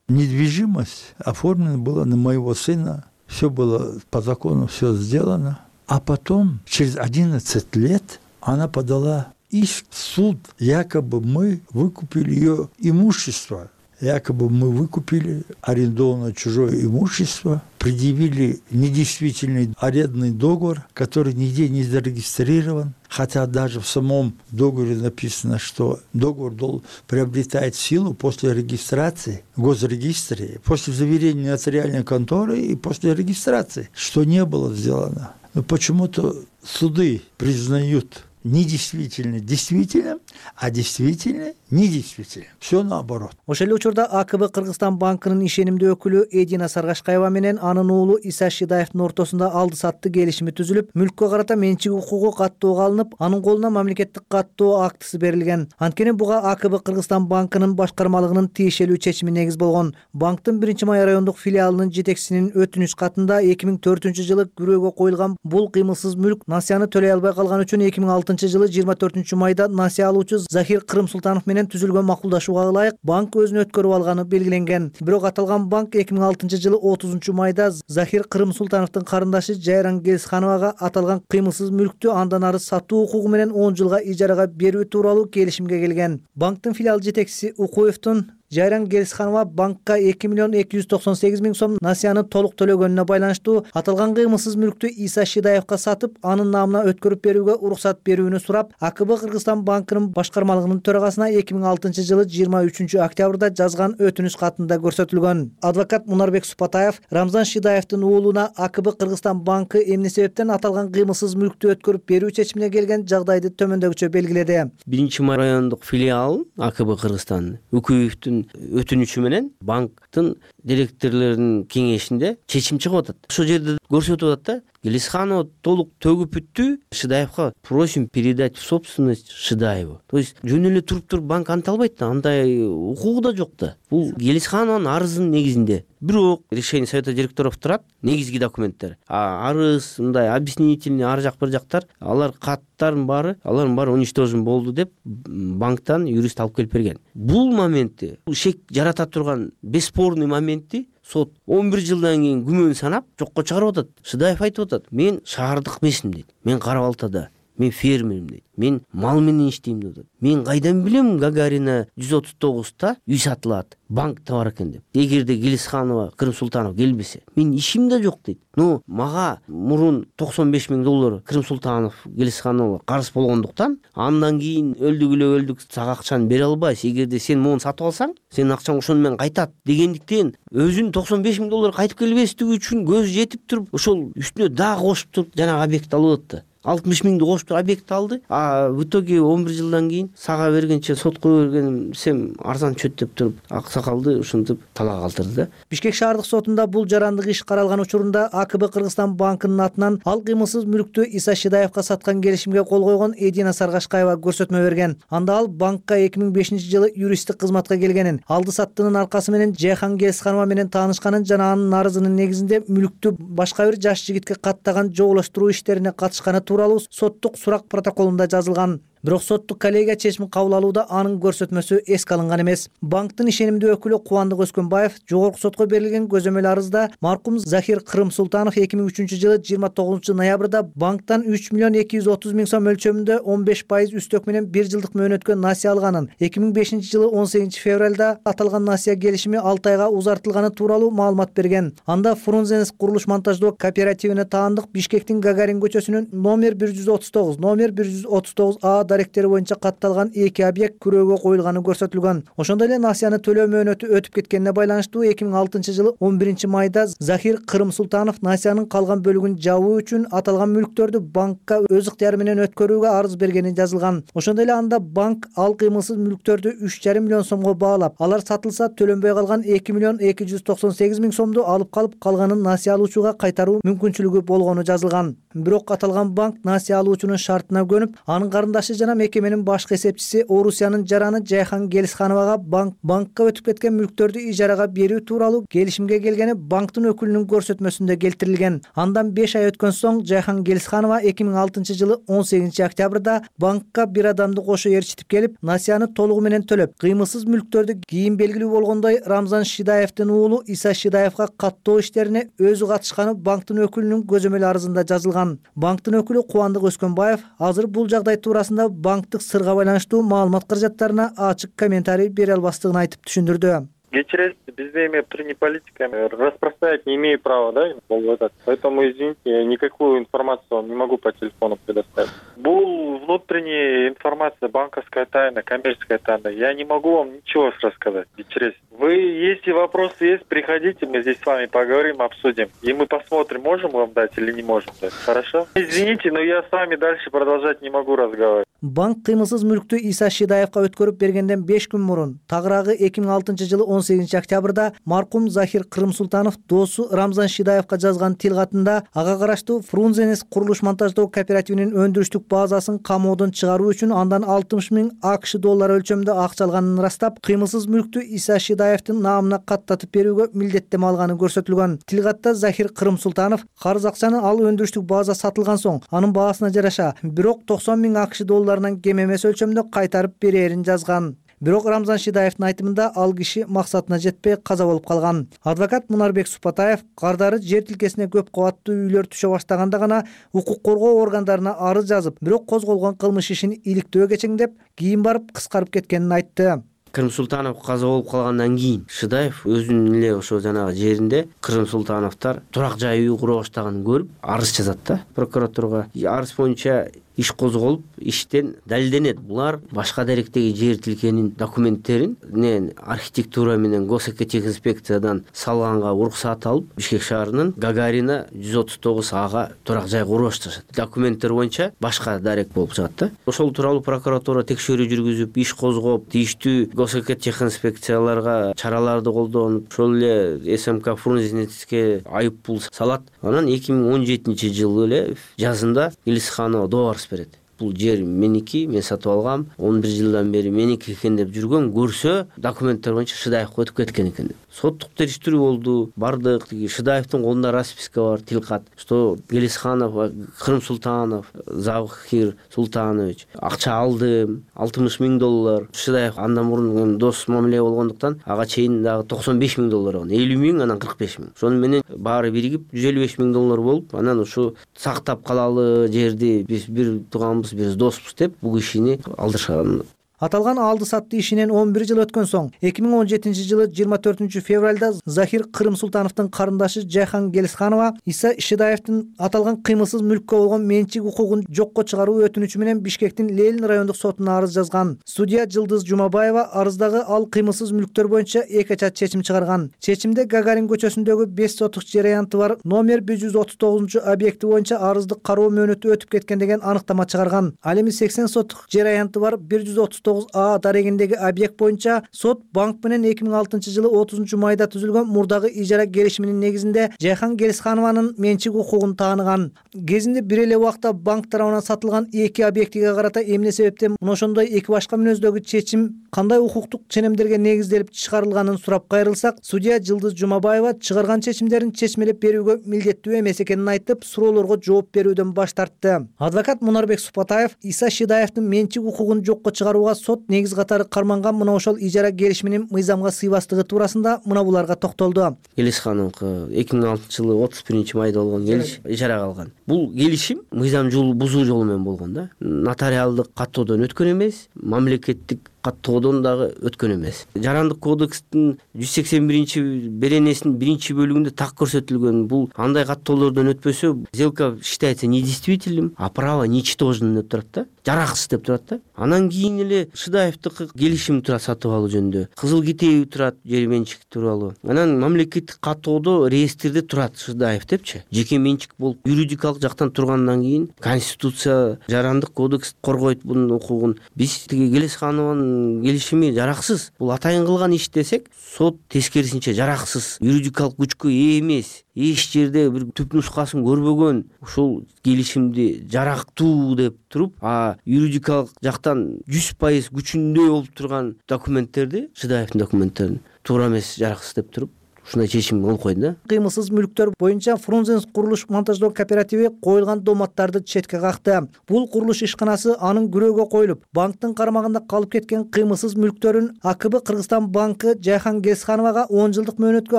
Недвижимость оформлена была на моего сына, все было по закону, все сделано. А потом, через одиннадцать лет, она подала иск в суд, якобы мы выкупили ее имущество. якобы мы выкупили арендованное чужое имущество, предъявили недействительный арендный договор, который нигде не зарегистрирован, хотя даже в самом договоре написано, что договор приобретает силу после регистрации в госрегистре, после заверения нотариальной конторы и после регистрации, что не было сделано. Но почему-то суды признают недействительно действительным, а действительно недействительным. Все наоборот. Ошол эле учурда А К Б Кыргызстан банкынын ишенимдүү өкүлү Эдина Саргашкаева менен анын уулу Иса Шидаевдин ортосунда алды сатты келишими түзүлүп, мүлккө карата менчик укугу каттоого алынып, анын колуна мамлекеттик каттоо актысы берилген. Анткени буга А К Б Кыргызстан банкынын башкармалыгынын тиешелүү чечими негиз болгон. Банктын биринчи май райондук филиалынын жетекчисинин өтүнүч катында эки миң төртүнчү жылы күрөөгө коюлган бул кыймылсыз мүлк насыяны төлөй албай калган үчүн эки миң алтынчы жылы жыйырма төртүнчү майда насыя алуучу Захир Кырымсултанов менен түзүлгөн макулдашууга ылайык банк өзүн өткөрүп алганы белгиленген. Бирок аталган банк эки миң алтынчы жылы отузунчу майда Захир Кырымсултановдун карындашы Жайран Гелисхановага аталган кыймылсыз мүлктү андан ары сатуу укугу менен он жылга ижарага берүү тууралуу келишимге келген. Банктын филиал жетекчиси Укуевдун Жайран Гелисханова банкка эки миллион эки жүз токсон сегиз миң сом насыяны толук төлөгөнүнө байланыштуу аталган кыймылсыз мүлктү Иса Шидаевга сатып, анын наамына өткөрүп берүүгө уруксат берүүнү сурап, А К Б Кыргызстан банкынын башкармалыгынын төрагасына эки миң алтынчы жылы жыйырма үчүнчү октябрда жазган өтүнүч катында көрсөтүлгөн. Адвокат Мунарбек Супатаев Рамзан Шидаевдин уулуна А К Б Кыргызстан банкы эмне себептен аталган кыймылсыз мүлктү өткөрүп берүү чечимине келген жагдайды төмөндөгүчө белгиледи. Биринчи май райондук филиал А К Б Кыргызстан Укуевдин өтүнүчү менен банктын директорлорунун кеңешинде чечим чыгып атат. Ошол жерде көрсөтүп атат да, Гелисханова толук төгүп бүттү, Шидаевга просим передать в собственность Шидаеву. То есть жөн эле туруп туруп банк анта албайт да, андай укугу да жок да. Бул Гелисханованын арызынын негизинде. Бирок решение совета директоров турат, негизги документтер. А арыз, мындай объяснительный ар жак бир жактар, алар каттардын баары, алардын баары уничтожен болду деп банктан юрист алып келип берген. Бул моментти, шек жарата турган бесспорный моментти сот он бир жылдан кийин күмөн санап жокко чыгарып атат. Шидаев айтып атат: "Мен шаардык эмесмин" дейт. "Мен Кара Балтада, мен фермермин" дейт. "Мен мал менен иштейм" дейт. "Мен кайдан билем Гагарина жүз отуз тогузда үй сатылат, банкта бар экен" деп. "Эгерде Гелисханова, Кырымсултанов келбесе, мен ишим да жок" дейт. "Но мага мурун токсон беш миң доллар Кырымсултанов Гелисханова карыз болгондуктан, андан кийин өлдүк эле өлдүк, сага акчаны бере албайсың. Эгерде сен муну сатып алсаң, сенин акчаң ошону менен кайтат" дегендиктен өзүнүн токсон беш миң доллар кайтып келбестиги үчүн көзү жетип туруп, ошол үстүнө дагы кошуп туруп жанагы объект алып атты. алтымыш миңди кошуп туруп объект алды. А в итоге он бир жылдан кийин сага бергенче сотко бергеним сем арзан чөт деп туруп, аксакалды ушинтип талак калтырды да. Бишкек шаардык сотунда бул жарандык иш каралган учурунда А К Б Кыргызстан банкынын атынан ал кыймылсыз мүлктү Иса Шидаевга саткан келишимге кол койгон Эдина Саргашкаева көрсөтмө берген. Анда ал банкка эки миң бешинчи жылы юристтик кызматка келгенин, алды саттынын аркасы менен Жайхан Гелисханова менен таанышканын жана анын арызынын негизинде мүлктү башка бир жаш жигитке каттаган жоолоштуруу иштерине катышканы тууралуу соттук сурак протоколунда жазылган. Бирок соттук коллегия чечим кабыл алууда анын көрсөтмөсү эске алынган эмес. Банктын ишенимдүү өкүлү Кубандык Өскөнбаев жогорку сотко берилген көзөмөл арызда маркум Захир Кырымсултанов эки миң үчүнчү жылы жыйырма тогузунчу ноябрда банктан үч миллион эки жүз отуз миң сом мөлчөрүндө он беш пайыз үстөк менен бир жылдык мөөнөткө насыя алганын, эки миң бешинчи жылы он сегизинчи февралда аталган насыя келишими алты айга узартылганы тууралуу маалымат берген. Анда Фрунзенс курулуш монтаждоо кооперативине таандык Бишкектин Гагарин көчөсүнүн номер бир жүз отуз тогуз, номер бир жүз отуз тогуз А даректери боюнча катталган эки объект күрөөгө коюлганы көрсөтүлгөн. Ошондой эле насыяны төлөө мөөнөтү өтүп кеткенине байланыштуу эки миң алтынчы жылы он биринчи майда Захир Кырымсултанов насыянын калган бөлүгүн жабуу үчүн аталган мүлктөрдү банкка өз ыктыяры менен өткөрүүгө арыз бергени жазылган. Ошондой эле анда банк ал кыймылсыз мүлктөрдү үч жарым миллион сомго баалап, алар сатылса төлөнбөй калган эки миллион эки жүз токсон сегиз миң сомду алып калып, калганын насыя алуучуга кайтаруу мүмкүнчүлүгү болгону жазылган. Бирок аталган банк насыя алуучунун шартына көнүп, анын карындашы жана мекеменин башкы эсепчиси Орусиянын жараны Жайхан Гелисхановага банк банкка өтүп кеткен мүлктөрдү ижарага берүү тууралуу келишимге келгени банктын өкүлүнүн көрсөтмөсүндө келтирилген. Андан беш ай өткөн соң Жайхан Гелисханова эки миң алтынчы жылы он сегизинчи октябрда банкка бир адамды кошо ээрчитип келип, насыяны толугу менен төлөп, кыймылсыз мүлктөрдү кийин белгилүү болгондой Рамзан Шидаевдин уулу Иса Шидаевга каттоо иштерине өзү катышканы банктын өкүлүнүн көзөмөл арызында жазылган. Банктын өкүлү Кубандык Өскөнбаев азыр бул жагдай туурасында банктык сырга байланыштуу маалымат каражаттарына ачык комментарий бере албастыгын айтып түшүндүрдү. Кечиресиз, бизде эми внутренняя политика распространять не имею права, да, болуп атат. Поэтому, извините, я никакую информацию вам не могу по телефону предоставить. Бул внутренняя информация, банковская тайна, коммерческая тайна. Я не могу вам ничего рассказать. Кечиресиз. Вы, если вопросы есть, приходите, мы здесь с вами поговорим, обсудим. И мы посмотрим, можем вам дать или не можем дать. Хорошо? Извините, но я с вами дальше продолжать не могу разговаривать. Банк кыймылсыз мүлктү Иса Шидаевка өткөрүп бергенден беш күн мурун, тагыраагы эки миң алтынчы жылы он сегизинчи октябрда маркум Захир Кырымсултанов досу Рамзан Шидаевка жазган тил катында ага караштуу Фрунзенес курулуш монтаждоо кооперативинин өндүрүштүк базасын камоодон чыгаруу үчүн андан алтымыш миң АКШ доллары өлчөмүндө акча алганын ырастап, кыймылсыз мүлктү Иса Шидаевдин наамына каттатып берүүгө милдеттеме алганы көрсөтүлгөн. Тил катта Захир Кырымсултанов карыз акчаны ал өндүрүштүк база сатылган соң анын баасына жараша бирок токсон миң АКШ долларынан кем эмес өлчөмдө кайтарып берерин жазган. Бирок Рамзан Шидаевдин айтымында ал киши максатына жетпей каза болуп калган. Адвокат Мунарбек Супатаев кардары жер тилкесине көп кабаттуу үйлөр түшө баштаганда гана укук коргоо органдарына арыз жазып, бирок козголгон кылмыш ишин иликтөө кечеңдеп, кийин барып кыскарып кеткенин айтты. Кырымсултанов каза болуп калгандан кийин Шидаев өзүнүн эле ошо жанагы жеринде Кырымсултановдор турак жай үй кура баштаганын көрүп арыз жазат да прокуратурага. Арыз боюнча иш козголуп, иштен далилденет. Булар башка даректеги жер тилкенин документтерин не архитектура менен госэкотехинспекциядан салганга уруксат алып, Бишкек шаарынын Гагарина жүз отуз тогуз ага турак жай куруп башташат. Документтер боюнча башка дарек болуп чыгат да. Ошол тууралуу прокуратура текшерүү жүргүзүп, иш козгоп, тийиштүү госэкотехинспекцияларга чараларды колдонуп, ошол эле СМК Фрунзенеске айып пул салат. Анан эки миң он жетинчи жылы эле жазында Илисханова доллар берет. Бул жер меники, мен сатып алгам, он бир жылдан бери меники экен деп жүргөн, көрсө документтер боюнча Шидаевка өтүп кеткен экен. Соттук териштирүү болду, бардык. Шидаевдин колунда расписка бар, тилкат, что Гелисханов, Кырымсултанов, Захир Султанович акча алдым, алтымыш миң доллар. Шидаев андан мурун дос мамиле болгондуктан ага чейин дагы токсон беш миң доллар алган, элүү миң, анан кырк беш миң. Шону менен баары биригип жүз элүү беш миң доллар болуп, анан ушу сактап калалы жерди биз бир тууганбыз, биз доспуз деп бул кишини алдырышкан. Аталган алды сатты ишинен он бир жыл өткөн соң, эки миң он жетинчи жылы жыйырма төртүнчү февралда Захир Кырымсултановдун карындашы Жайхан Гелисханова Иса Шидаевдин аталган кыймылсыз мүлккө болгон менчик укугун жокко чыгаруу өтүнүчү менен Бишкектин Ленин райондук сотуна арыз жазган. Судья Жылдыз Жумабаева арыздагы ал кыймылсыз мүлктөр боюнча эки ача чечим чыгарган. Чечимде Гагарин көчөсүндөгү беш сотук жер аянты бар номер бир жүз отуз тогузунчу объекти боюнча арыздык кароо мөөнөтү өтүп кеткен деген аныктама чыгарган. Ал эми сексен сотук жер аянты бар бир жүз отуз тогуз А дарегиндеги объект боюнча сот банк менен эки миң алтынчы жылы отузунчу майда түзүлгөн мурдагы ижара келишиминин негизинде Жайхан Гелисханованын менчик укугун тааныган. Кезинде бир эле убакта банк тарабынан сатылган эки объектиге карата эмне себептен мына ошондой эки башка мүнөздөгү чечим кандай укуктук ченемдерге негизделип чыгарылганын сурап кайрылсак, судья Жылдыз Жумабаева чыгарган чечимдерин чечмелеп берүүгө милдеттүү эмес экенин айтып, суроолорго жооп берүүдөн баш тартты. Адвокат Мунарбек Супатаев Иса Шидаевдин менчик укугун жокко чыгарууга сот негиз катары карманган мына ошол ижара келишиминин мыйзамга сыйбастыгы туурасында мына буларга токтолду. Гелисхановго эки миң алтынчы жылы отуз биринчи майда болгон келиш ижарага алган. Бул келишим мыйзам жолу бузуу жолу менен болгон да. Нотариалдык каттоодон өткөн эмес, мамлекеттик каттоодон дагы өткөн эмес. Жарандык кодекстин жүз сексен биринчи беренесинин биринчи бөлүгүндө так көрсөтүлгөн. Бул андай каттоолордон өтпөсө, сделка считается недействительным, а право ничтожным деп турат да. Жараксыз деп турат да. Анан кийин эле Шидаевдики келишим турат сатып алуу жөнүндө. Кызыл китеби турат жер менчик тууралуу. Анан мамлекеттик каттоодо реестрде турат Шидаев депчи. Жеке менчик болуп юридикалык жактан тургандан кийин Конституция, Жарандык кодекс коргойт бунун укугун. Биз тиги Гелисханованын келишими жараксыз. Бул атайын кылган иш десек, сот тескерисинче жараксыз, юридикалык күчкө ээ эмес. Эч жерде бир түп нускасын көрбөгөн ушул келишимди жарактуу деп туруп, а юридикалык жактан жүз пайыз күчүндө болуп турган документтерди, Шидаевдин документтерин туура эмес, жараксыз деп туруп ушундай чечим кылып койду да. Кыймылсыз мүлктөр боюнча Фрунзенс курулуш монтаждоо кооперативи коюлган доматтарды четке какты. Бул курулуш ишканасы анын күрөөгө коюлуп, банктын карамагында калып кеткен кыймылсыз мүлктөрүн А К Б Кыргызстан банкы Жайхан Гелисхановага он жылдык мөөнөткө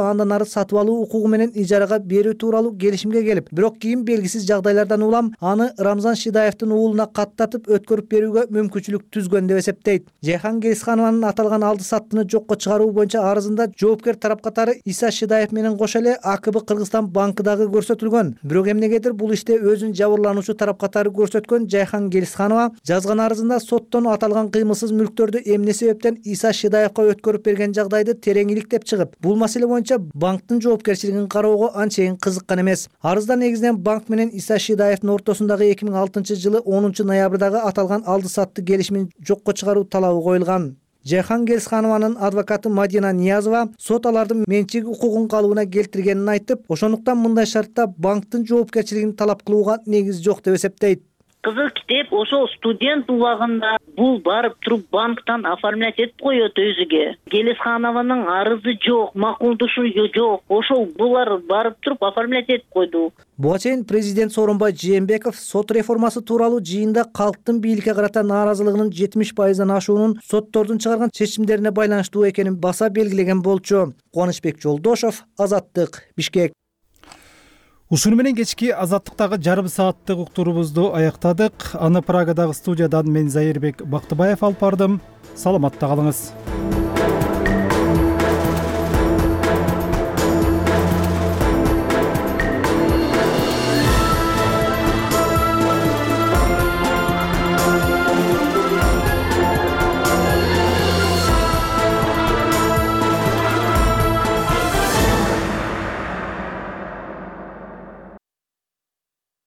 андан ары сатып алуу укугу менен ижарага берүү тууралуу келишимге келип, бирок кийин белгисиз жагдайлардан улам аны Рамзан Шидаевдин уулуна каттатып өткөрүп берүүгө мүмкүнчүлүк түзгөн деп эсептейт. Жайхан Гелисханованын аталган алды саттыны жокко чыгаруу боюнча арызында жоопкер тарап катары Иса Шидаев менен кошо эле А К Б Кыргызстан банкы дагы көрсөтүлгөн. Бирок эмнегедир бул иште өзүн жабырлануучу тарап катары көрсөткөн Жайхан Гелисханова жазган арызында соттон аталган кыймылсыз мүлктөрдү эмне себептен Иса Шидаевга өткөрүп берген жагдайды терең иликтеп чыгып, бул маселе боюнча банктын жоопкерчилигин кароого анчейин кызыккан эмес. Арызда негизинен банк менен Иса Шидаевдин ортосундагы эки миң алтынчы жылы онунчу ноябрдагы аталган алды сатты келишимин жокко чыгаруу талабы коюлган. Жайхан Гелисханованын адвокаты Мадина Ниязова сот алардын менчик укугун калыбына келтиргенин айтып, ошондуктан мындай шартта банктын жоопкерчилигин талап кылууга негиз жок деп эсептейт. Кызыл китеп ошол студент убагында бул барып туруп банктан оформлять этип коет өзүгө. Гелисханованын арызы жок, макулдушу жок. Ошол булар барып туруп оформлять этип койду. Буга чейин президент Сооронбай Жээнбеков сот реформасы тууралуу жыйында калктын бийликке карата нааразылыгынын жетимиш пайыздан ашуунун соттордун чыгарган чечимдерине байланыштуу экенин баса белгилеген болчу. Кубанычбек Жолдошов, Азаттык, Бишкек. Ушуну менен кечки Азаттыктагы жарым сааттык уктуруубузду аяктадык. Аны Прагадагы студиядан мен Зайырбек Бактыбаев алып бардым. Саламатта калыңыз.